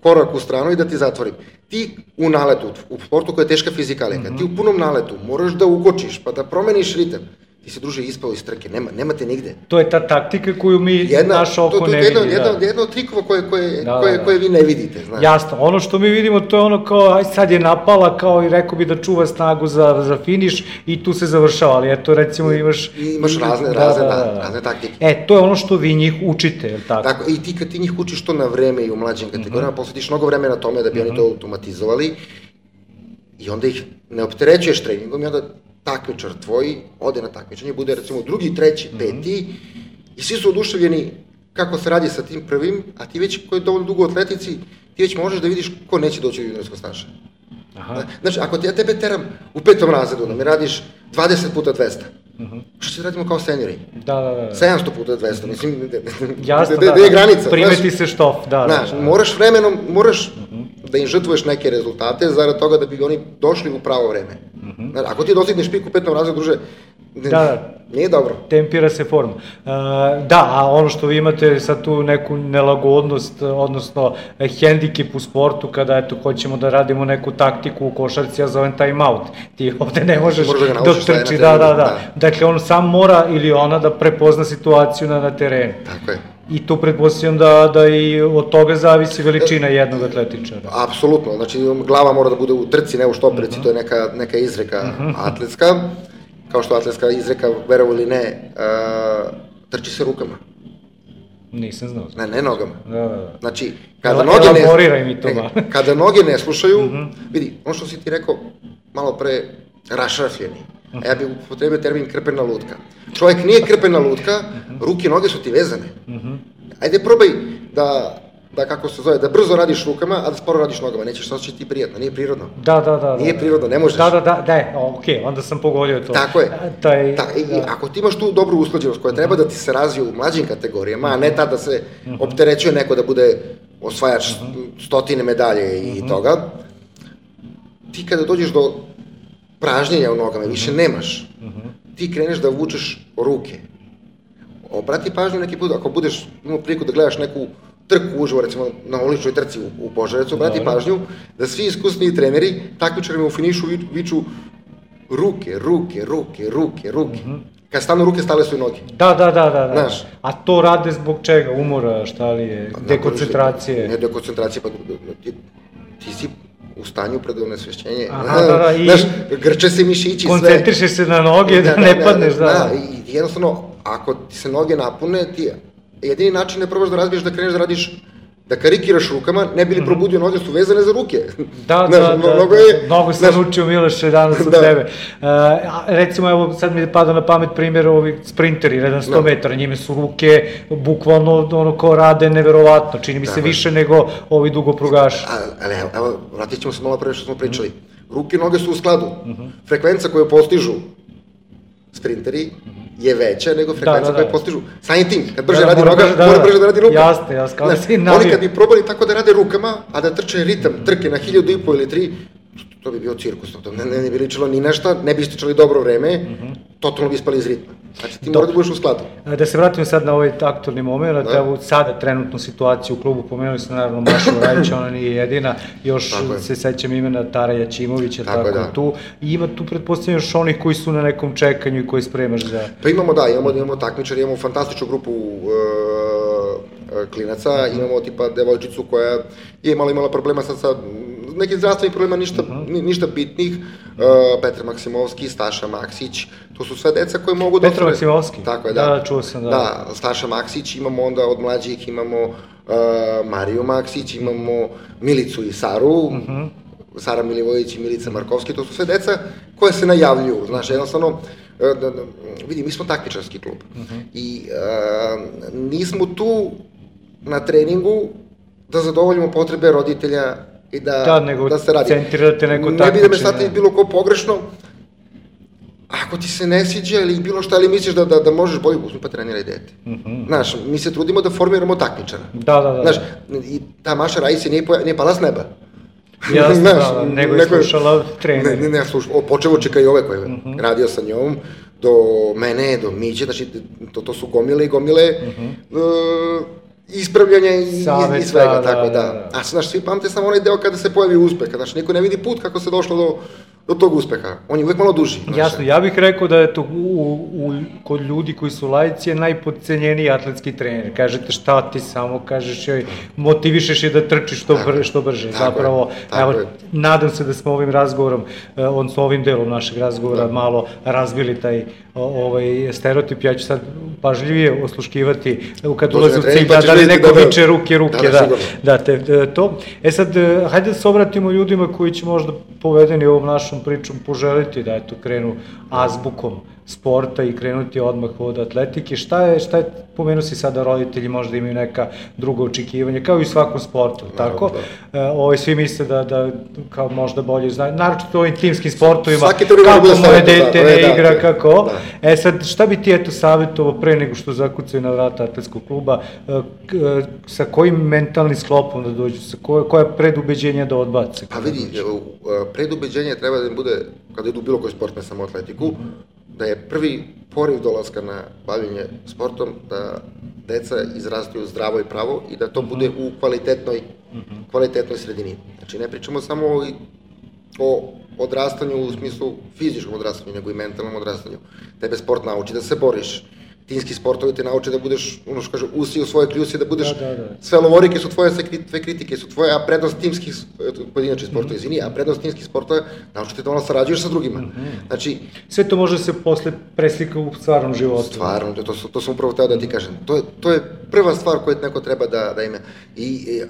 korak u stranu i da ti zatvorim. Ti u naletu, u sportu koja je teška fizikalija, kad ti u punom naletu moraš da ukočiš, pa da promeniš ritam, ti se, druže, ispao iz trke, nema, nema te nigde. To je ta taktika koju mi Jedna, naš oko to, to ne je jedna, vidi. jedna, da. jedna od trikova koje, koje, Da, koje, da, da. koje vi ne vidite, znaš. Jasno, ono što mi vidimo to je ono kao, aj sad je napala, kao i rekao bi da čuva snagu za, za finiš i tu se završava, ali eto recimo imaš... I imaš razne, razne, da, razne taktike. E, to je ono što vi njih učite, je li tako? Tako, i ti kad ti njih učiš to na vreme i u mlađim kategorijama, posvetiš mnogo vremena tome da bi oni to automatizovali i onda ih ne opterećuješ treningom i onda takmičar tvoj ode na takmičenje, bude recimo drugi, treći, peti i svi su oduševljeni kako se radi sa tim prvim, a ti već koji je dovoljno dugo u atletici, ti već možeš da vidiš ko neće doći u juniorsko staže. Aha. Znači, ako ti ja tebe teram u petom razredu, da mi radiš dvadeset puta dvesta, što će radimo kao seniori? Da, da, da. sedamsto puta dvesta, mislim, Jasno, gde da, je da. granica? Primeti znaš? se štof, da, Znaš, da, da. moraš vremenom, moraš da im žrtvuješ neke rezultate zarad toga da bi oni došli u pravo vreme. Znaš, ako ti dostigneš pik u petom razredu, druže, Da, da. nije dobro. Tempira se forma. Uh, da, a ono što vi imate sad tu neku nelagodnost, odnosno eh, hendikep u sportu, kada eto, hoćemo da radimo neku taktiku u košarci, ja zovem time out. Ti ovde ne možeš Možeš da ga dok naučiš šta je na trči, terenu, da, da, da. da. Dakle, on sam mora ili ona da prepozna situaciju na, na terenu. Tako je. I tu pretpostavljam da, da i od toga zavisi veličina jednog atletičara. Apsolutno, znači glava mora da bude u trci, ne u štoperici, uh-huh. to je neka, neka izreka uh-huh. atletska, kao što atletska izreka, verovo ili ne, uh, trči se rukama. Nisam znao. Ne, ne nogama. Da, da, da. Znači, kada noge ne, mi to ne, kada noge ne slušaju, uh-huh. vidi, ono što si ti rekao malo pre, rašrafljeni. Uh-huh. A ja bih upotrebio termin krpena lutka. Čovjek nije krpena lutka, uh-huh. ruke i noge su ti vezane. Uh-huh. Ajde probaj da, da, kako se zove, da brzo radiš rukama, a da sporo radiš nogama. Nećeš se osjećati prijatno, nije prirodno. Da, da, da. Nije da, prirodno, ne možeš. Da, da, da, da, okej, okay, onda sam pogodio to. Tako je. Taj, Ta, i, da. Ako ti imaš tu dobru usklađenost koja treba da ti se razvije u mlađim kategorijama, a ne tad da se uh-huh. opterećuje neko da bude osvajač uh-huh. stotine medalje i uh-huh. toga, ti kada dođeš do pražnjenja u nogama, više nemaš, uh-huh. ti kreneš da vučeš ruke. Obrati pažnju neki put, ako budeš imao priliku da gledaš neku trku uživo, recimo na uličnoj trci u, u Požarevcu, obrati pažnju da svi iskusniji treneri takmičarima u finišu viču ruke, ruke, ruke, ruke, ruke. Uh-huh. Kad stanu ruke, stale su i noge. Da, da, da, da, da. Znaš, a to rade zbog čega? Umora, šta li je? Dekoncentracije? Ne dekoncentracije, pa ti, ti si u stanju pred onesvešćenje. Aha, da, da, i... Znaš, grče se mišići, sve. Koncentrišeš se na noge da, da ne padneš, da. Da, i jednostavno, ako ti se noge napune, ti jedini način ne probaš da razbiješ, da kreneš da radiš, da karikiraš rukama, ne bi li probudio, noge su vezane za ruke. Da, da, da, mnogo je... Mnogo sam učio, Miloše, danas od tebe. Recimo, evo, sad mi je padao na pamet primjer ovi sprinteri, jedan sto metara, njime su ruke, bukvalno, ono, ko rade, neverovatno, čini mi se više nego ovi dugoprugaši. Ali, evo, vratit ćemo se malo pre što smo pričali. Ruke i noge su u skladu. Frekvenca koju postižu sprinteri je veća nego frekvenca koje postižu. Samim tim, kad brže radi noga, mora brže da radi rukama. Jasne, jasne, kao da si navio. Oni kad bi probali tako da rade rukama, a da trče ritam, trke na hiljadu i po ili tri, to bi bio cirkus, to ne, ne bi ličilo ni nešto, ne bi ističali dobro vreme, totalno bi ispali iz ritma. Znači ti mora da budeš u skladu. Da se vratimo sad na ovaj aktualni moment, da evo sada trenutnu situaciju u klubu, pomenuli ste naravno Mašu Rajića, ona nije jedina, još se sećam imena Tara Jačimovića, tako tu, i ima tu pretpostavljam još onih koji su na nekom čekanju i koji spremaš za... Pa imamo, da, imamo, imamo takmičar, imamo fantastičnu grupu klinaca, imamo tipa devojčicu koja je imala imala problema sad sa nekih zdravstvenih problema, ništa, uh-huh. ništa bitnih, uh, Petar Maksimovski, Staša Maksić, to su sve deca koje mogu da... Petar Maksimovski? Tako je, da. Da, čuo sam, da. Da, Staša Maksić, imamo onda od mlađih, imamo uh, Mariju Maksić, imamo Milicu i Saru, uh-huh. Sara Milivojević i Milica Markovski, to su sve deca koje se najavljuju, znaš, jednostavno, uh, da, da, vidi, mi smo takmičarski klub uh-huh. i uh, nismo tu na treningu da zadovoljimo potrebe roditelja i da, da, nego da se radi. Centrirate neko takmičenje. Ne bi da me shvatili bilo ko pogrešno, ako ti se ne sviđa ili bilo šta, ali misliš da, da, da možeš bolje, uzmi pa treniraj dete. Uh-huh. Znaš, mi se trudimo da formiramo takmičara. Da, da, da. Znaš, i ta Maša Rajić nije, nije pala s neba. Jasno, znaš, da, nego je slušala trener. Ne, ne, ne, slušala, počevo čeka i ove koje uh-huh. radio sa njom, do mene, do Miće, znači, to, to su gomile i gomile, uh-huh. uh, ispravljanja i, Saveta, i svega, da, tako da. da. A znaš, svi pamte samo onaj deo kada se pojavi uspeh, znaš, niko ne vidi put kako se došlo do, do tog uspeha. On je uvek malo duži. Znaš. Jasno, ja bih rekao da je to u, u, kod ljudi koji su laici je najpodcenjeniji atletski trener. Kažete šta ti samo, kažeš joj, motivišeš je da trči što, br, što brže. Tako Zapravo, je, evo, je. nadam se da smo ovim razgovorom, odnosno ovim delom našeg razgovora da. malo razbili taj ovaj stereotip. Ja ću sad pažljivije osluškivati kad ulazi u cilj, da, da li neko da, viče ruke, ruke, da, da, da, te, to. E sad, hajde da se obratimo ljudima koji će možda povedeni ovom našom pričom poželiti da eto krenu azbukom sporta i krenuti odmah od atletike. Šta je, šta je, pomenu si sada roditelji možda imaju neka druga očekivanja, kao i u svakom sportu, tako? Da. E, ovaj, svi misle da, da kao možda bolje znaju, naročito u ovim timskim sportovima, kako moje dete ne da, igra, da, kako. Da. E sad, šta bi ti eto savjetovao pre nego što zakucaju na vrata atletskog kluba, e, k, e, sa kojim mentalnim sklopom da dođu, sa koje, koja predubeđenja da odbace? Pa vidi, predubeđenje treba da im bude, kada idu bilo koji sport, ne samo atletiku, mm-hmm. da je prvi poriv dolaska na bavljenje sportom, da deca izrastu zdravo i pravo i da to bude u kvalitetnoj, kvalitetnoj sredini. Znači, ne pričamo samo o, o odrastanju u smislu fizičkom odrastanju, nego i mentalnom odrastanju. Tebe sport nauči da se boriš, timski sportovi te nauče da budeš, ono što kaže, usi u svoje kljusi, da budeš, da, da, da. sve lovorike su tvoje, sve kritike su tvoje, a prednost timskih, pojedinačnih sportova, izvini, a prednost timskih sportova nauči te da ono sarađuješ sa drugima. Znači, sve to može se posle preslika u stvarnom životu. Stvarno, to, to, to sam upravo teo da ti kažem. To je, to je prva stvar koju neko treba da, da ima. I, i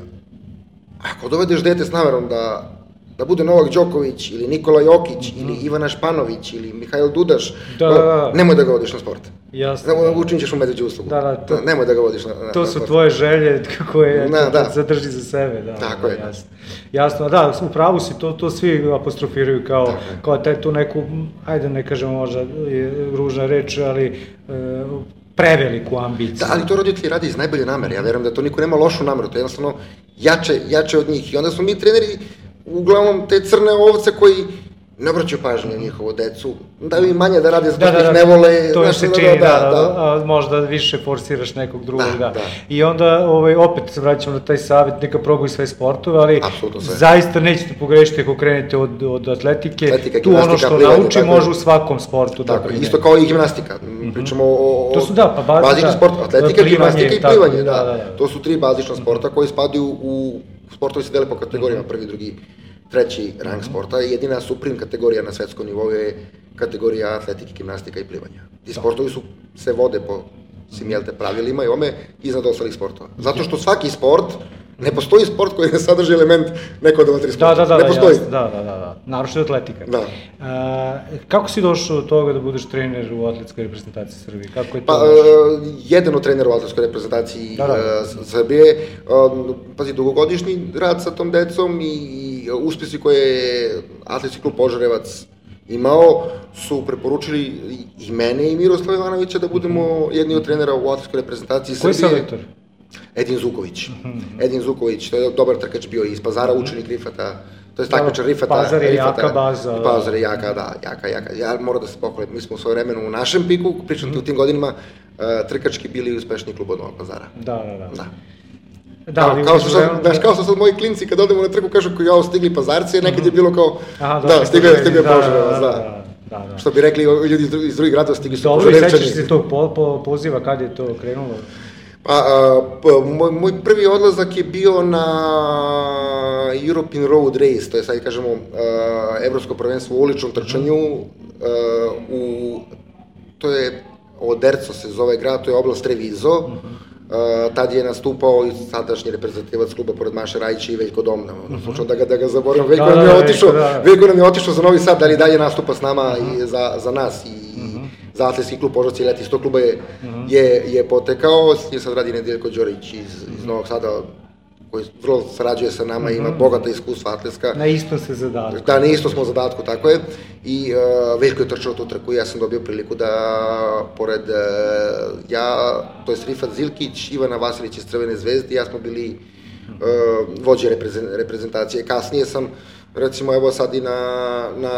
ako dovedeš dete s namerom da da bude Novak Đoković, ili Nikola Jokić, mm-hmm. ili Ivana Španović, ili Mihajl Dudaš, da, da, da. nemoj da ga vodiš na sport. Jasno. Učinit ćeš mu medveđu uslugu. Da, da, to, nemoj da ga vodiš na, na, to na su sport. tvoje želje koje da, da. zadrži za sebe. Da, Tako da, je. Jasno. Jasno, da, u pravu si, to, to svi apostrofiraju kao, kao taj tu neku, ajde ne kažemo možda je ružna reč, ali e, preveliku ambiciju. Da, ali to roditelji radi iz najbolje namere. Ja verujem da to niko nema lošu nameru, to je jednostavno jače, jače od njih. I onda smo mi treneri uglavnom te crne ovce koji ne obraćaju pažnju na njihovu decu, daju im manje da rade zato što ih ne vole. To je se čini, da, a možda više forsiraš nekog drugog, da. I onda opet se vraćamo na taj savjet, neka probaju sve sportove, ali zaista nećete pogrešiti ako krenete od atletike, tu ono što nauči može u svakom sportu da primeni. Isto kao i gimnastika, pričamo o bazičnom sportu, atletika, gimnastika i plivanje, to su tri bazična sporta koji spadaju u, sportovi se dele po kategorijama, prvi, drugi, treći rang sporta, jedina suprim kategorija na svetskom nivou je kategorija atletike, gimnastika i plivanja. Ti sportovi su, se vode po svim jelte pravilima i ome iznad ostalih sportova. Zato što svaki sport, ne postoji sport koji ne sadrži element neko od ova tri sporta. Da, da, da, ne postoji. Da, da, da, da. Naročito atletika. Da. A, kako si došao do toga da budeš trener u atletskoj reprezentaciji Srbije? Kako je to? Pa, jedan od trenera u atletskoj reprezentaciji da, da. Srbije, pazi, dugogodišnji rad sa tom decom i uspjesi koje je Atletski klub Požarevac imao su preporučili i mene i Miroslava Ivanovića da budemo jedni od trenera u atletskoj reprezentaciji Srbije. Koji selektor? Edin Zuković. Edin Zuković, to je dobar trkač bio iz Pazara, učenik Rifata, to je takmičar Rifata. Pazar je jaka baza. Pazar je jaka, da, jaka, jaka. Ja moram da se pohvalim, mi smo u svoje vremenu u našem piku, pričam u tim godinama, trkački bili uspešniji klub od Novog Pazara. Da, da, da. Da. Da, kao, kao, što sad, daš, kao što sad moji klinci kad odemo na trku kažu koji jao stigli Pazarci, nekad je bilo kao, Aha, da, stigao je, stigao je Požarevac, da. Da, da. Što bi rekli ljudi iz drugih gradova stigli su Požarevčani. Dobro, i sećaš se tog po, po, poziva, kad je to krenulo? Pa, a, pa moj, moj prvi odlazak je bio na European Road Race, to je sad kažemo a, evropsko prvenstvo u uličnom trčanju, a, u, to je, Oderco se zove grad, to je oblast Treviso. Uh-huh. Uh, tad je nastupao i sadašnji reprezentativac kluba pored Maše Rajića i Veljko Domna, ono, uh-huh. slučajno da ga, da ga zaboravim, Veljko da, nam je otišao, da. Veljko nam je otišao za Novi Sad, da li dalje nastupa s nama uh-huh. i za, za nas i uh-huh. za Atletski klub Požarevci, Leti, iz tog kluba je, uh-huh. je, je potekao, s njim sad radi Nedeljko Đorić iz, uh-huh. iz Novog Sada, koji vrlo sarađuje sa nama, ima bogata iskustva atletska. Na istom se zadatku. Da, na istom smo zadatku, tako je. I uh, Veljko je trčao tu trku i ja sam dobio priliku da, pored uh, ja, to je Rifat Zilkić, Ivana Vasilić iz Crvene zvezde, ja smo bili uh, vođe reprezentacije. Kasnije sam, recimo, evo sad i na, na,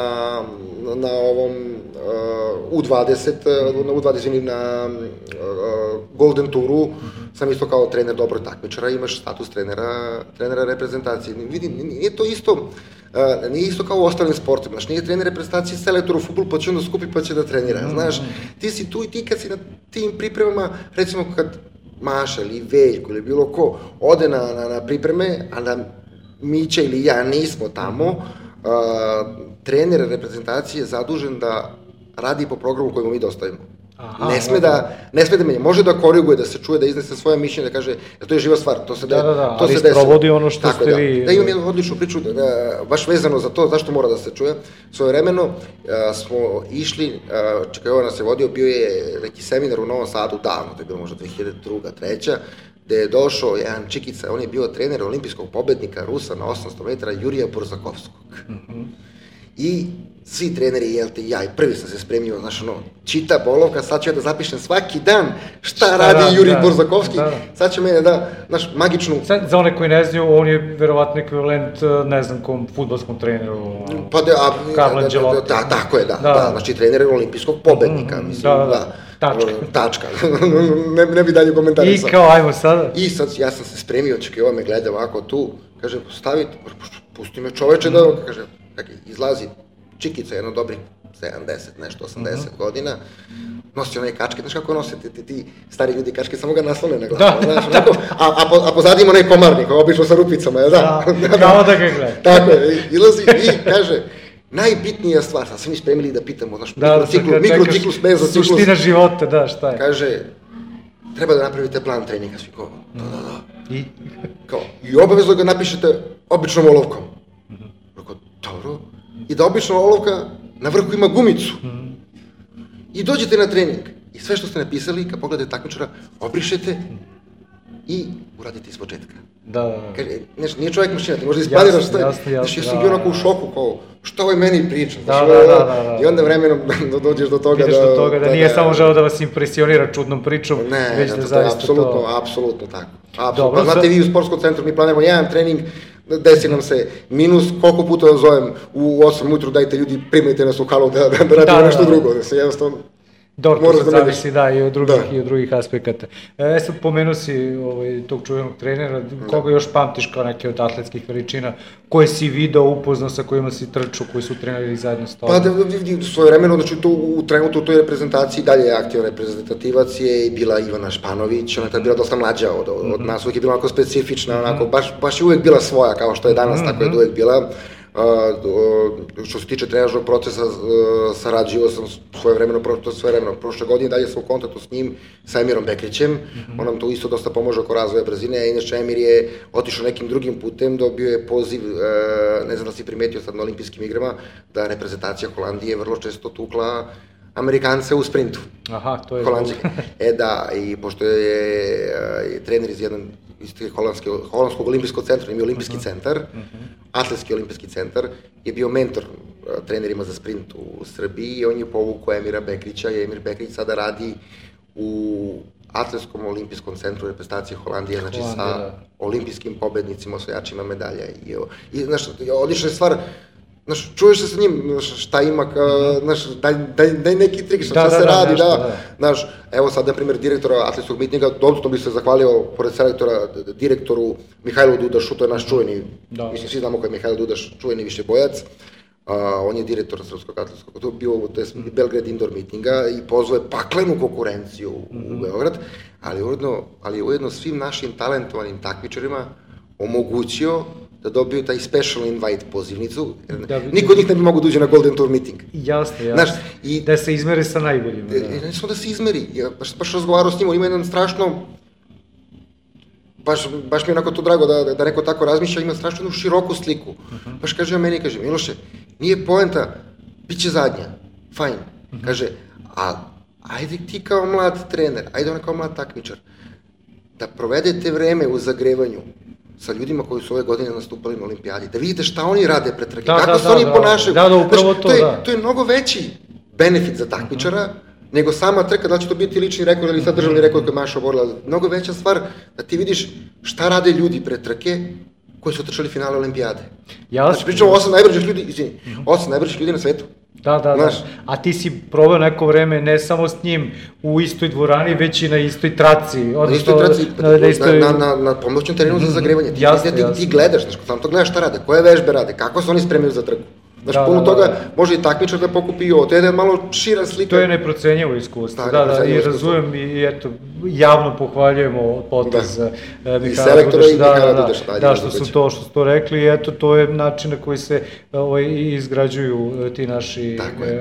na ovom uh, U dvadeset, na U dvadeset, na uh, Golden Touru, sam isto kao trener dobrog takmičara, imaš status trenera, trenera reprezentacije. Vidim, nije to isto, uh, nije isto kao u ostalim sportima, znaš, nije trener reprezentacije selektor u fudbal, pa će onda skupi pa će da trenira, znaš, ti si tu i ti kad si na tim pripremama, recimo kad Maša ili Veljko ili bilo ko ode na, na, na pripreme, a da Mića ili ja nismo tamo, uh, trener reprezentacije je zadužen da radi po programu kojemu mi dostavimo. Aha, ne sme da, ne sme da menja, može da koriguje, da se čuje, da iznese svoje mišljenje, da kaže, jer to je živa stvar, to se da, da, da, to ali se desilo. Sprovodi ono što tako, ste da, vi... Da, imam jednu odličnu priču, da, da, baš vezano za to, zašto mora da se čuje. Svoje vremeno a, smo išli, a, čekaj, ovo nas je vodio, bio je neki seminar u Novom Sadu, davno, to je bilo možda dve hiljade druga, treća, gde je došao jedan čikica, on je bio trener olimpijskog pobednika Rusa na osamsto metara, Jurija Borzakovskog. Mm-hmm. I svi treneri, jel te, ja i prvi sam se spremio, znaš, ono, čita bolovka, sad ću ja da zapišem svaki dan šta, šta radi, radi Jurij da, Borzakovski, da. Sad će mene da, znaš, magičnu... Sad, za one koji ne znaju, on je verovatno ekvivalent, ne znam, kom fudbalskom treneru, pa de, a, Carlo Ancelotti. Da, tako je, da, da, da, znači trener olimpijskog pobednika, mm, mislim, da, da, da. Tačka. Tačka, ne, ne bi dalje komentarisao. I kao, ajmo sada. I sad, ja sam se spremio, čekaj, ovo me gleda ovako tu, kaže, stavi, pusti me čoveče da, kaže, izlazi Čikica, jedno dobrih sedamdeset, nešto, osamdeset uh-huh. godina, nosi onaj kačke, znaš kako nose ti, ti, ti stari ljudi kačke, samo ga naslone na glavu, da, znaš, onako, a, a, po, a pozadima onaj komarnik, obično sa rupicama, je da? Da, kao da ga gleda. Tako je, ilazi i kaže, najbitnija stvar, sad smo mi spremili da pitamo, znaš, da, mikrociklus, mikrociklus, mezociklus. Suština života, da, šta je? Kaže, treba da napravite plan treninga, svi kao, da, da, da. I? Kao, i obavezno ga napišete običnom olovkom. Rekao, dobro. I da obična olovka na vrhu ima gumicu. I dođete na trening. I sve što ste napisali, kad pogledate takmičara, obrišete i uradite iz početka. Da, da, da. Kaže, znaš, nije čovjek mašina, ti možda ispadiraš sve. Jasno, jasno, znaš, ja sam bio onako u šoku, kao, što ovaj meni priča? Da, da, da, da. I onda vremenom dođeš do toga da... Vidiš do toga da nije samo želeo da vas impresionira čudnom pričom, ne, već da, da zaista to... apsolutno, apsolutno tako. Apsolutno. Dobro, pa znate, vi u sportskom centru, mi planiramo jedan trening, desi nam se minus, koliko puta da zovem u osam ujutru, dajte ljudi, primajte nas u halu da, da, da radimo nešto drugo, da se jednostavno... Dobro, to se zavisi, da, i od drugih, da. i od drugih aspekata. E, sad pomenuo si ovaj, tog čuvenog trenera, koga još pamtiš kao neke od atletskih veličina, koje si video, upoznao, sa kojima si trčao, koji su treneri zajedno s tobom? Pa, da, svoje vremeno, znači, to, u trenutku u toj reprezentaciji dalje je aktivan reprezentativac, je bila Ivana Španović, ona je tada bila dosta mlađa od, od, od nas, uvijek je bila onako specifična, onako, baš, baš je uvijek bila svoja, kao što je danas, mm-hmm. tako je uvijek bila. Uh, uh, što se tiče trenažnog procesa, uh, sarađivao sam svoje vremeno, to svoje vremeno, prošle godine, dalje sam u kontaktu s njim, sa Emirom Bekrićem, mm-hmm. on nam to isto dosta pomože oko razvoja brzine, a inače Emir je otišao nekim drugim putem, dobio je poziv, uh, ne znam da si primetio sad na olimpijskim igrama, da reprezentacija Holandije vrlo često tukla Amerikance u sprintu. Aha, to je... Holandžike. E da, i pošto je, je trener iz jedan iz Holandskog olimpijskog centra, imao olimpijski uh-huh. centar, uh-huh. atletski olimpijski centar, je bio mentor uh, trenerima za sprint u Srbiji i on je povukao Emira Bekrića i Emir Bekrić sada radi u atletskom olimpijskom centru reprezentacije Holandije, znači Holandija, sa da. olimpijskim pobednicima, osvajačima medalja. I, i znaš, odlična je stvar, znaš, čuješ se sa njim, znaš, šta ima, ka, znaš, daj, daj, daj neki trik, šta, da, šta da, se da, radi, nešto, da, da, znaš, evo sad, na primjer, direktora atletskog mitinga, dodatno bih se zahvalio, pored selektora, direktoru Mihajlu Dudašu, to je naš čuveni, da, mislim, svi znamo ko je Mihajlo Dudaš, čuveni višebojac, uh, on je direktor srpskog atletskog, to je bio, to je mm. Belgrade indoor mitinga i pozvao je paklenu konkurenciju mm-hmm. u Beograd, ali ujedno, ali ujedno svim našim talentovanim takmičarima omogućio da dobiju taj special invite pozivnicu, da, niko od njih ne bi mogu da uđe na Golden Tour meeting. Jasno, jasno. Znaš, i, da se izmeri sa najboljima. Da. Ne samo da se izmeri, ja baš, baš razgovarao s njim, on ima jedan strašno, baš, baš mi je onako to drago da, da neko tako razmišlja, ima strašno jednu široku sliku. Uh-huh. Baš kaže meni, kaže, Miloše, nije poenta, bit će zadnja, fajn. Uh-huh. Kaže, a ajde ti kao mlad trener, ajde on kao mlad takmičar, da provedete vreme u zagrevanju sa ljudima koji su ove godine nastupali na olimpijadi, da vidite šta oni rade pred trke, da, kako da, se da, oni da, ponašaju. Da, da, upravo to, to je, da. To je mnogo veći benefit za takmičara, uh-huh. nego sama trka, da će to biti lični rekord ili sad državni rekord koji Maša oborila. Mnogo veća stvar da ti vidiš šta rade ljudi pred trke koji su trčali finale olimpijade. Jasno. Znači, pričamo o osam najbržih ljudi, izvini, uh-huh. osam najbržih ljudi na svetu. Da, da, znaš, da. A ti si probao neko vreme ne samo s njim u istoj dvorani, već i na istoj traci. Na istoj traci, na, na, istoj... na, na, na pomoćnom terenu za zagrevanje. Ti, jasne, ti, ti, ti gledaš, znaš, sam to gledaš šta rade, koje vežbe rade, kako se oni spremaju za trku. Znaš, da, puno da, toga da, da. Može i takmičar da pokupi i ovo, to je malo šira slika. To je neprocenjivo iskustvo, da, da, da, i razumem i eto, javno pohvaljujemo potez da. Mihajla Dudaša, i Mihajla da, Dudaša, da, da, da, što su to, što su to rekli i eto, to je način na koji se ovaj, izgrađuju ti naši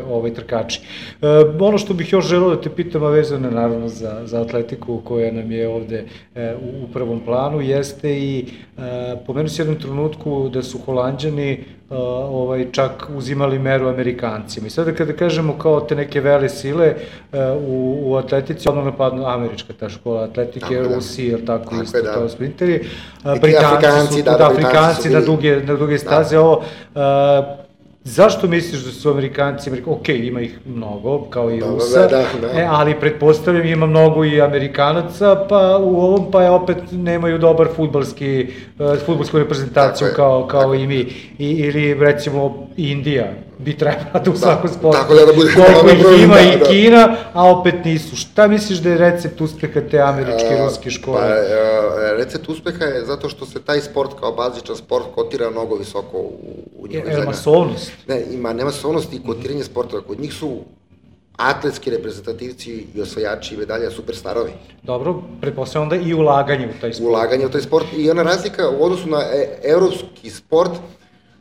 ovaj, trkači. E, ono što bih još želeo da te pitam, a vezano je naravno za, za atletiku koja nam je ovde e, u, u prvom planu, jeste i e, pomenu se jednom trenutku da su Holanđani Uh, ovaj, čak uzimali meru Amerikancima. I sada kada kažemo kao te neke vele sile uh, u, u atletici, odmah napadnu američka ta škola atletike, Rusi, jel tako, tako isto da. Kao sprinteri. Uh, Britanci Afrikanci, su, da, da, Afrikanci na duge, na duge staze, da. Ovo, uh, zašto misliš da su Amerikanci, Amerika... ok, ima ih mnogo, kao i da, Rusa, da, da. E, ali pretpostavljam ima mnogo i Amerikanaca, pa u ovom pa je opet nemaju dobar fudbalski, uh, fudbalsku reprezentaciju tako kao, kao i mi. I, ili recimo Indija bi trebala da u svakom sportu. Tako da da bude koliko ih ima da, i da. Kina, a opet nisu. Šta misliš da je recept uspeha te američke i ruske škole? Pa, uh, recept uspeha je zato što se taj sport kao bazičan sport kotira mnogo visoko u, u njihovoj zemlji. Je masovnost? Ne, ima ne masovnost i kotiranje sportova. Kod njih su atletski reprezentativci i osvajači medalja superstarovi. Dobro, pretpostavljam da i ulaganje u taj sport. Ulaganje u taj sport i ona razlika u odnosu na e, evropski sport,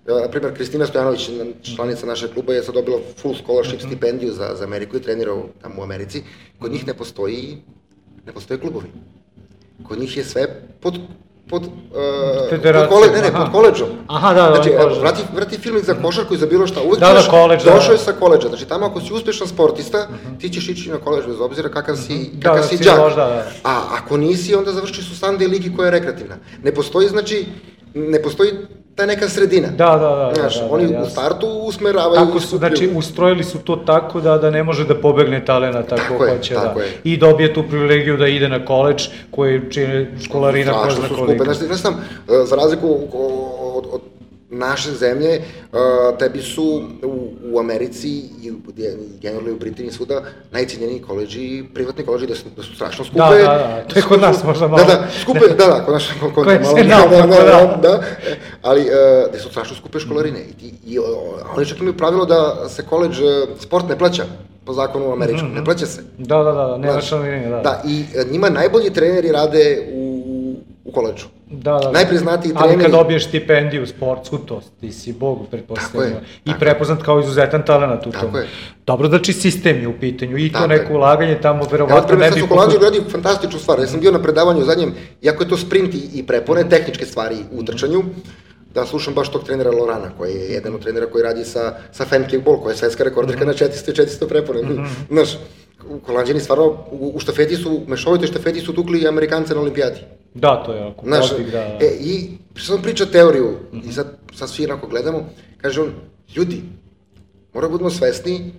na primjer Kristina Stojanović, članica našeg kluba, je sad dobila full scholarship mm-hmm. stipendiju za, za Ameriku i trenira tamo u Americi. Kod njih ne postoji, ne postoje klubovi. Kod njih je sve pod pod, uh, pod, kole, ne, ne, pod koleđom. Aha, da, da, znači, koleđom. vrati, vrati filmik za košarku i za bilo šta, uvijek da, da, koleđ, došao da. je sa koleđa. Znači, tamo ako si uspešan sportista, uh-huh. ti ćeš ići na koleđ bez obzira kakav si, uh-huh. kakav da, si da, džak. Možda, da. A ako nisi, onda završiš u Sunday ligi koja je rekreativna. Ne postoji, znači, ne postoji ta neka sredina. Da, da, da. Znaš, da, da, oni da, u startu usmeravaju... Tako su, znači, ustrojili su to tako da, da ne može da pobegne talena tako, tako je, hoće. Tako da. je. I dobije tu privilegiju da ide na koleđ, koji čine školarina ko zna koliko. Znači, znači sam, za razliku od, od naše zemlje, tebi su u, u Americi i generalno u Britaniji svuda najcijenjeniji koleđi, privatni koleđi da su, da su strašno skupe. Da, da, da, to je kod nas možda malo. Da, da, skupe, da, da, kod nas kod koje malo. Se naopako, da, da. da, ali da su strašno skupe školarine. I, i, i oni čak imaju pravilo da se koleđ, sport ne plaća po zakonu američkom, mm-hmm. ne plaća se. Da, da, da, nema članarine, da. Da, i njima najbolji treneri rade u, u koleđu. Da, da, najpriznatiji treneri. Ali kad dobiješ stipendiju sportsku, to ti si bog, pretpostavljamo. I prepoznat kao izuzetan talenat u tom. Dobro, znači sistem je u pitanju i to neko ulaganje tamo verovatno ne bi... Ja, Holandija radi fantastičnu stvar. Ja sam bio na predavanju zadnjem, iako je to sprint i prepone, tehničke stvari u trčanju, da slušam baš tog trenera Lorana, koji je jedan od trenera koji radi sa, sa Femke-Ball, koja je svetska rekorderka na četiristo i četiristo prepone. Znaš, Holanđani stvarno u, u štafeti su, mešovitoj štafeti su tukli Amerikance na olimpijadi. Da, to je onako, podvig, da, da. E, i sam priča teoriju, mm-hmm. i sad, sad svi onako gledamo, kaže on, ljudi, moramo budemo svesni,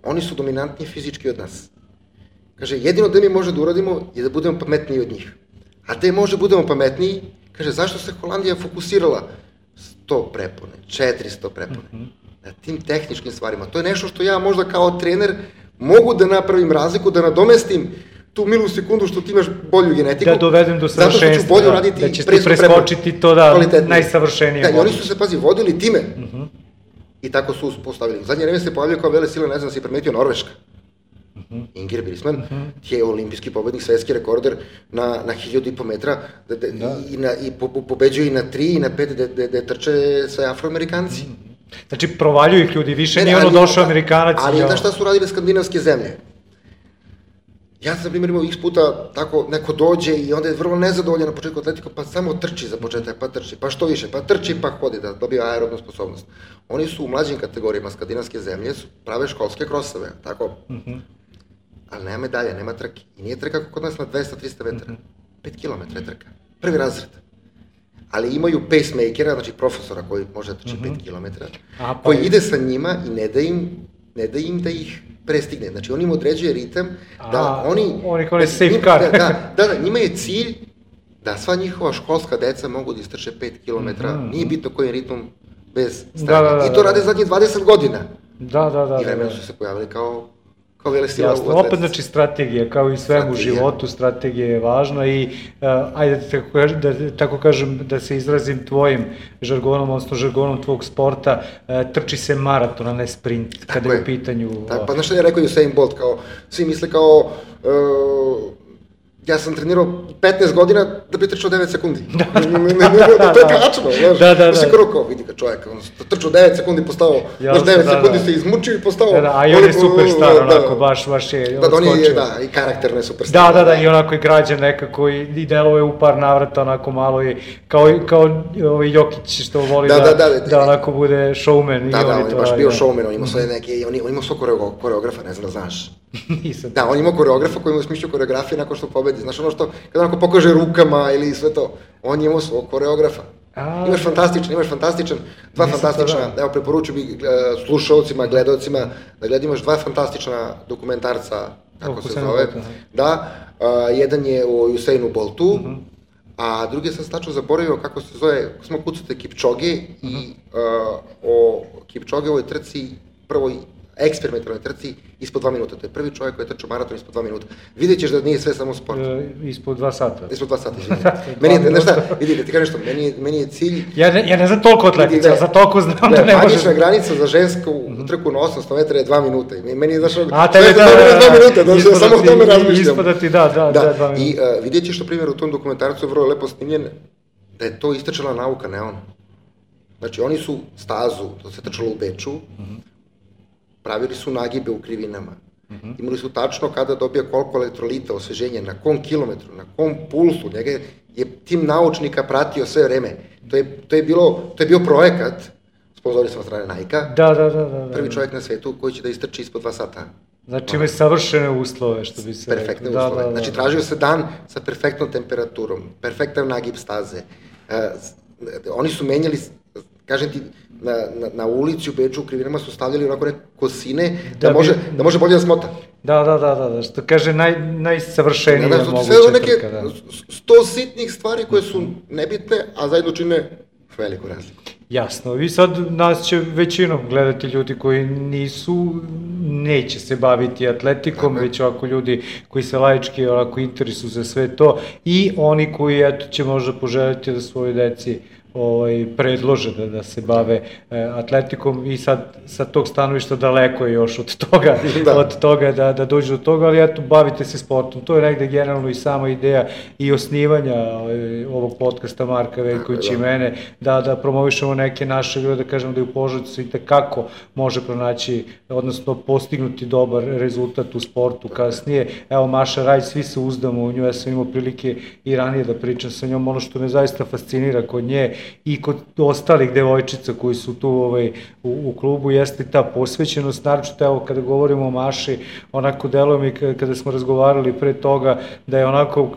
oni su dominantniji fizički od nas. Kaže, jedino da mi može da uradimo je da budemo pametniji od njih. A da može budemo pametniji, kaže, zašto se Holandija fokusirala? sto prepone, četiristo prepone, mm-hmm. na tim tehničkim stvarima. To je nešto što ja možda kao trener mogu da napravim razliku, da nadomestim tu milu sekundu što ti imaš bolju genetiku. Da dovedem do savršenstva, zato što ću bolje raditi da ćeš ti preskočiti to da najsavršenije. Da, i oni su se, pazi, vodili time. Uh-huh. I tako su postavili. U zadnje vreme se pojavljaju kao vele sile, ne znam da si primetio, Norveška. Uh-huh. Ingrid Brisman uh-huh. je olimpijski pobednik, svetski rekorder na, na hiljadu i po metra da, da, da. i, na, i po, po, pobeđuje i na tri i na pet gde trče sve Afroamerikanci. Uh-huh. Znači, provaljuju ih ljudi, više nije ono došao Amerikanac. Ali znaš šta su radile skandinavske zemlje? Ja sam, na primjer, imao x puta tako neko dođe i onda je vrlo nezadovoljan na početku atletika, pa samo trči za početak, pa trči, pa što više, pa trči, pa hodi da dobije aerobnu sposobnost. Oni su u mlađim kategorijama skandinavske zemlje, su prave školske krosove, tako? Mm-hmm. Ali nema medalja, nema trke. I nije trka kod nas na dvesta do trista metara. Mm-hmm. pet kilometara je trka. Prvi razred. Ali imaju pacemakera, znači profesora koji može da trči mm-hmm. pet kilometara, pa koji ide sa njima i ne da im, ne da im da ih prestigne. Znači, on im određuje ritam da A, oni... Oni kao je safe car. Da, da, da, da, njima je cilj da sva njihova školska deca mogu da istrče pet kilometara, mm-hmm. nije bitno kojim ritmom, bez stranja. Da, da, da, I to rade zadnjih dvadeset godina. Da, da, da. I vremena su se pojavili kao kao vele sila u atletici. Opet, znači, strategija, kao i svemu u životu, strategija je važna i, uh, ajde da, da tako kažem, da se izrazim tvojim žargonom, odnosno žargonom tvog sporta, uh, trči se maraton, a ne sprint, kada tako je u pitanju... Tako, pa znaš što je rekao Usain Bolt, kao, svi misle kao... Uh, ja sam trenirao petnaest godina da bi trčao devet sekundi. Da, da, da. To je tačno, znaš. Da, da, da. Sve kao, vidi ga čovjek, on trčao devet sekundi, postao, znaš, devet sekundi se izmučio i postao... Da, da, a i on je superstar, onako, baš, baš je odskočio. Da, on je, da, i karakterno je superstar. Da, da, da, i onako je građan nekako i deluje u par navrata, onako malo i, kao, kao ovaj Jokić što voli da, da onako bude showman. Da, da, on je baš bio showman, on imao svoje neke, on imao svoj koreografa, ne znam da znaš. Da, on ima koreografa koji ima smišljao koreografije nakon što pobedi. Znaš ono što, kada onako pokaže rukama ili sve to, on je imao svog koreografa. A, imaš fantastičan, imaš fantastičan, dva fantastična, da. Evo preporučujem bi slušalcima, gledalcima, da gledam, imaš dva fantastična dokumentarca, kako se zove, da, uh, jedan je o Usainu Boltu, uh-huh. a drugi sam tačno zaboravio kako se zove, kako smo kucate Kipčoge uh-huh. i uh, o Kipčogeovoj trci prvoj eksperimentalnoj trci ispod dva minuta. To je prvi čovjek koji je trčao maraton ispod dva minuta. Vidjet ćeš da nije sve samo sport. E, ispod dva sata. Ispod dva sata, izvijem. Meni je, znaš šta, vidi, da ti kažem što, meni je, meni je cilj... Ja ne, ja ne znam toliko atletica, ja za toliko znam da, da ne može... Magična granica za žensku mm-hmm. trku na osamsto metara je dva minuta. Meni je, znaš, a, tebe, da, da, da, dva minuta, da, da, samo o tome razmišljam. Ispada ti, da, da, da, dva minuta. I uh, vidjet ćeš, na primjer, u tom dokumentarcu je vrlo lepo snimljen, da je to istračala nauka, ne on. Znači, oni su stazu, to se trčalo u Beču, mm-hmm. pravili su nagibe u krivinama. Mm-hmm. Imali su tačno kada dobija koliko elektrolita osveženja, na kom kilometru, na kom pulsu. Njega je tim naučnika pratio sve vreme. To je, to je, bilo, to je bio projekat, sponzori sam od strane Nike-a, da, da, da, da, da. prvi čovjek na svetu koji će da istrči ispod dva sata. Znači imaju savršene uslove, što bi se... Perfektne da, uslove. Da, da, znači tražio se dan sa perfektnom temperaturom, perfektan nagib staze. Uh, oni su menjali, kažem ti, na, na, na ulici u Beču u krivinama su stavljali onako neke kosine da, da, može, bi... da može bolje da smota. Da, da, da, da, da, što kaže naj, najsavršenije da, da, moguće sve neke trka, da. sto sitnih stvari koje su nebitne, a zajedno čine veliku razliku. Jasno, vi sad nas će većinom gledati ljudi koji nisu, neće se baviti atletikom, Aha. već ovako ljudi koji se laički ovako interesuju za sve to i oni koji eto će možda poželjeti da svoje deci ovaj, predlože da, da se bave e, atletikom i sad sa tog stanovišta daleko je još od toga, da. od toga da, da dođe do toga, ali eto, bavite se sportom. To je negde generalno i sama ideja i osnivanja ovaj, ovog podcasta Marka Veljkovića i mene, da, da promovišemo neke naše ljude, da kažemo da je u Požarevcu i tekako može pronaći, odnosno postignuti dobar rezultat u sportu kasnije. Evo Maša Raj, svi se uzdamo u nju, ja sam imao prilike i ranije da pričam sa njom, ono što me zaista fascinira kod nje i kod ostalih devojčica koji su tu ovaj, u, u klubu jeste ta posvećenost, naročito evo kada govorimo o Maši, onako deluje mi kada smo razgovarali pre toga da je onako,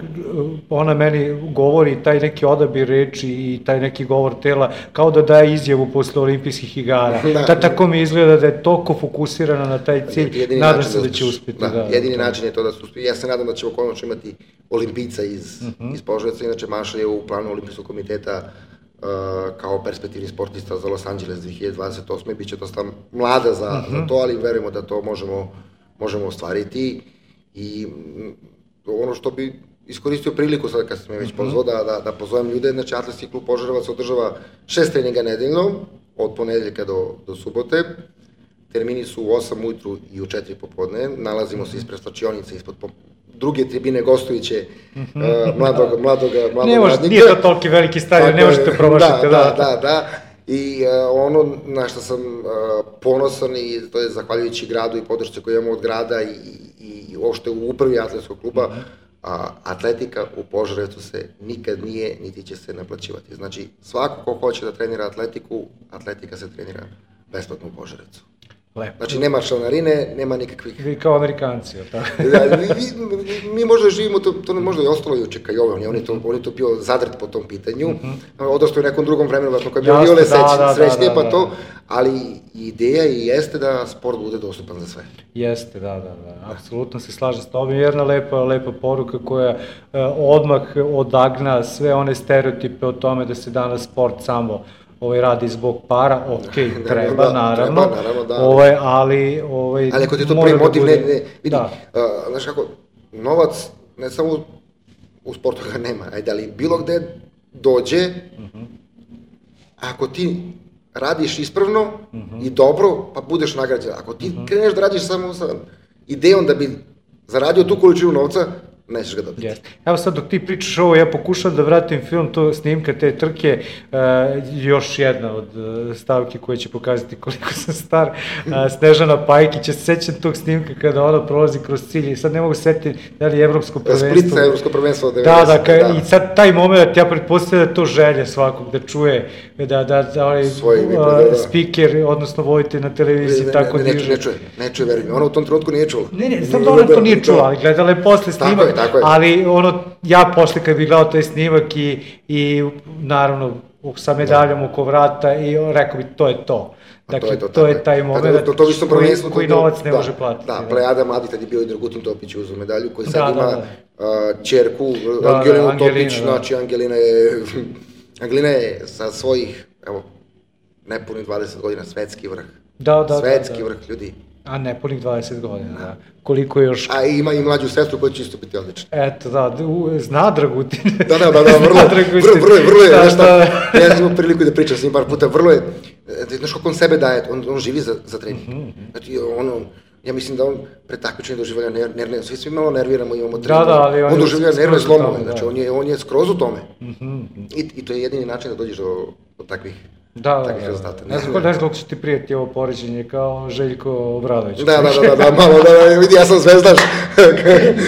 ona meni govori taj neki odabir reči i taj neki govor tela kao da daje izjavu posle olimpijskih igara. Da, da, tako mi izgleda da je toliko fokusirana na taj cilj, nadam se da će uspjeti. Da, da, jedini da, način je to da se uspije. Ja se nadam da ćemo konačno imati olimpijca iz, uh-huh. iz Požarevca, inače Maša je u planu olimpijskog komiteta Uh, kao perspektivni sportista za Los Angeles dve hiljade dvadeset osme. Biće dosta mlada za, uh-huh. za to, ali verujemo da to možemo, možemo ostvariti i m, ono što bi iskoristio priliku sad kad sam me već uh-huh. pozvao da, da, da pozovem ljude, znači Atletski klub Požarevac održava šest treninga nedeljno, od ponedeljka do, do subote, termini su u osam ujutru i u četiri popodne, nalazimo se ispred slačionice, ispod po, druge tribine gostujuće uh, mladog, mladog, mladog ne može, radnika. Nije to toliki veliki stadion, ne možete promašiti. Da, da, da, da. I uh, ono na što sam uh, ponosan i to je zahvaljujući gradu i podršci koju imamo od grada i, i, i uopšte u upravi atletskog kluba, uh-huh. a, atletika u Požarevcu se nikad nije, niti će se naplaćivati. Znači, svako ko hoće da trenira atletiku, atletika se trenira besplatno u Požarevcu. Lepo. Znači, nema članarine, nema nikakvih... Vi kao Amerikanci, ili tako? Da, mi, mi, mi možda živimo, to, to možda je ostalo i u Čekajovi, on je to, on je to bio zadrt po tom pitanju, mm-hmm. odošto u nekom drugom vremenu, kako je bio Viole da, srećnije, da, da, pa to, da. Ali ideja i jeste da sport bude dostupan za sve. Jeste, da, da, da, apsolutno se slažem s tobom, jedna lepa, lepa poruka koja eh, odmah odagna sve one stereotipe o tome da se danas sport samo ovaj radi zbog para, ok, treba, da, naravno, treba, naravno da, ovaj, ali... Ovaj, ali ako ti to premotiv, ne, ne, vidi, da. uh, znaš kako, novac, ne samo u, u sportu ga nema, ajde, ali bilo gde dođe, uh-huh. ako ti radiš ispravno uh-huh. i dobro, pa budeš nagrađen. Ako ti uh-huh. kreneš da radiš samo sa idejom da bi zaradio tu količinu novca, nećeš ga dobiti. Yes. Evo sad dok ti pričaš ovo, ja pokušam da vratim film, to snimka te trke, uh, još jedna od uh, stavki koje će pokazati koliko sam star, uh, Snežana Pajkić, ja se sećam tog snimka kada ona prolazi kroz cilj i sad ne mogu setiti da li je evropsko prvenstvo. Splitca evropsko prvenstvo od devedesetih. Da, da, ka, da, i sad taj moment, ja pretpostavljam da je to želja svakog, da čuje, da, da, da onaj uh, da, da. speaker, odnosno vodite na televiziji, ne, tako ne, ne, diže. Ne čuje, ne čuje, verujem, ona u tom trenutku nije čula. Ne, ne, znam da ona to nije čula, ali gledala je posle snimak. Ali ono, ja posle kad bih gledao taj snimak i, i naravno sa medaljom oko vrata i rekao bi to je to. Dakle, to je, to, to je taj moment to, to, to koji, koji novac ne da, može platiti. Da, plejada mladih tad je bio i Dragutin Topić uzeo medalju, koji sad da, ima da, da. Uh, čerku, da, Angelinu da, Topić, da. Znači Angelina je, Angelina je sa svojih, evo, nepunih dvadeset godina svetski vrh. Da, da, svetski da, da. vrh ljudi. A ne, punih dvadeset godina, da. Koliko još... A ima i mlađu sestru koja će isto biti odlična. Eto, da, zna Dragutin. Da, da, da, da, vrlo, vrlo, vrlo, vrlo je, nešto, ja sam imao priliku da pričam s njim par puta, vrlo je, znaš kako on sebe daje, on, on živi za, za trening. Znači, on, ja mislim da on pre takmičenja doživlja nervne, svi svi malo nerviramo, imamo trening. Da, da, ali on, on doživlja nervne slomove, znači on je, on je skroz u tome. I, I to je jedini način da dođeš do, do takvih Da, takvih da, rezultata. Ne znam ne koliko će ti prijeti ovo poređenje kao Željko Obradović. Da, da, da, da, malo, da, vidi, ja sam zvezdaš.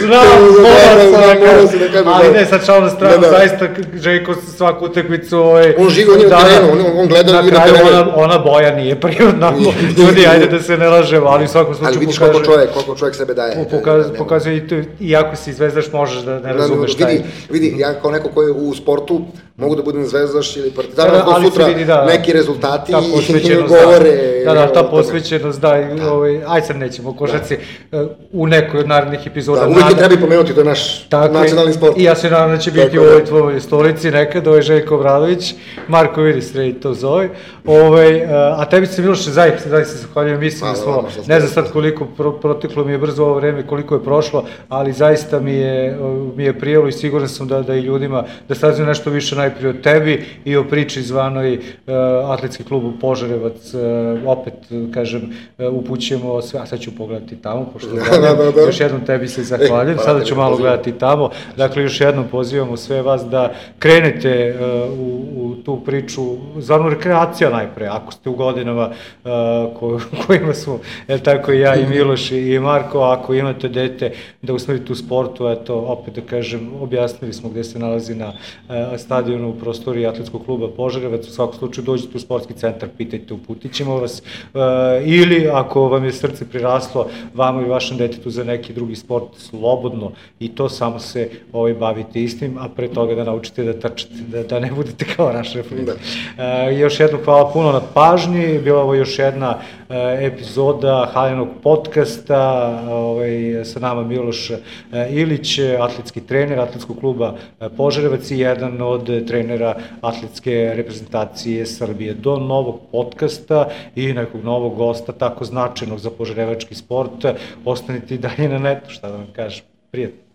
Znam, moram sam da kažem. Ali ne, sad šal na stranu, zaista Željko svaku utakmicu... On živi, on je na terenu, on gleda i na terenu. Na kraju ona boja nije prirodna, ljudi, ajde da se ne lažemo, ali u svakom slučaju pokaže... Ali vidiš koliko čovjek, koliko čovjek sebe daje. Pokazuje i to, iako si zvezdaš, možeš da ne razumeš šta je. Vidi, ja kao neko koji je u sportu, mogu da budem zvezdaš ili partizan, ali sutra neki rezultati i govore. Da, da, ta posvećenost, da, aj sad nećemo o košarci, u nekoj od narednih epizoda. Da, uvijek je treba i pomenuti, to je naš nacionalni sport. I ja se nadam da će biti u ovoj tvojoj stolici nekad, ovo je Željko Obradović, Marko vidi sredi to zove, a tebi se Miloše, zaista da se zahvaljujem, mislim da smo, ne znam sad koliko proteklo mi je brzo ovo vreme, koliko je prošlo, ali zaista mi je prijelo i siguran sam da i ljudima, da saznaju nešto više najprije o tebi i o priči zvanoj Atletski klub Požarevac, opet, kažem, upućujemo sve, a sad ću pogledati tamo, pošto još jednom tebi se zahvaljujem, sada ću malo gledati tamo, dakle još jednom pozivamo sve vas da krenete u tu priču, zvarno rekreacija najpre, ako ste u godinama kojima smo, je tako i ja i Miloš i Marko, ako imate dete da usmerite u sportu, eto, opet da kažem, objasnili smo gde se nalazi na stadionu u prostoriji Atletskog kluba Požarevac, u svakom slučaju dođite u sportski centar, pitajte, uputit ćemo vas, ili ako vam je srce priraslo, vama i vašem detetu za neki drugi sport, slobodno i to samo se bavite istim, a pre toga da naučite da trčete, da ne budete kao naš referent. Još jednom hvala puno na pažnji, bila ovo još jedna epizoda Haljanog podcasta, sa nama Miloš Ilić, atletski trener Atletskog kluba Požarevac i jedan od trenera atletske reprezentacije Srbije. Do novog podcasta i nekog novog gosta, tako značajnog za požarevački sport, ostanite i dalje na netu, šta da vam kažem. Prijatno.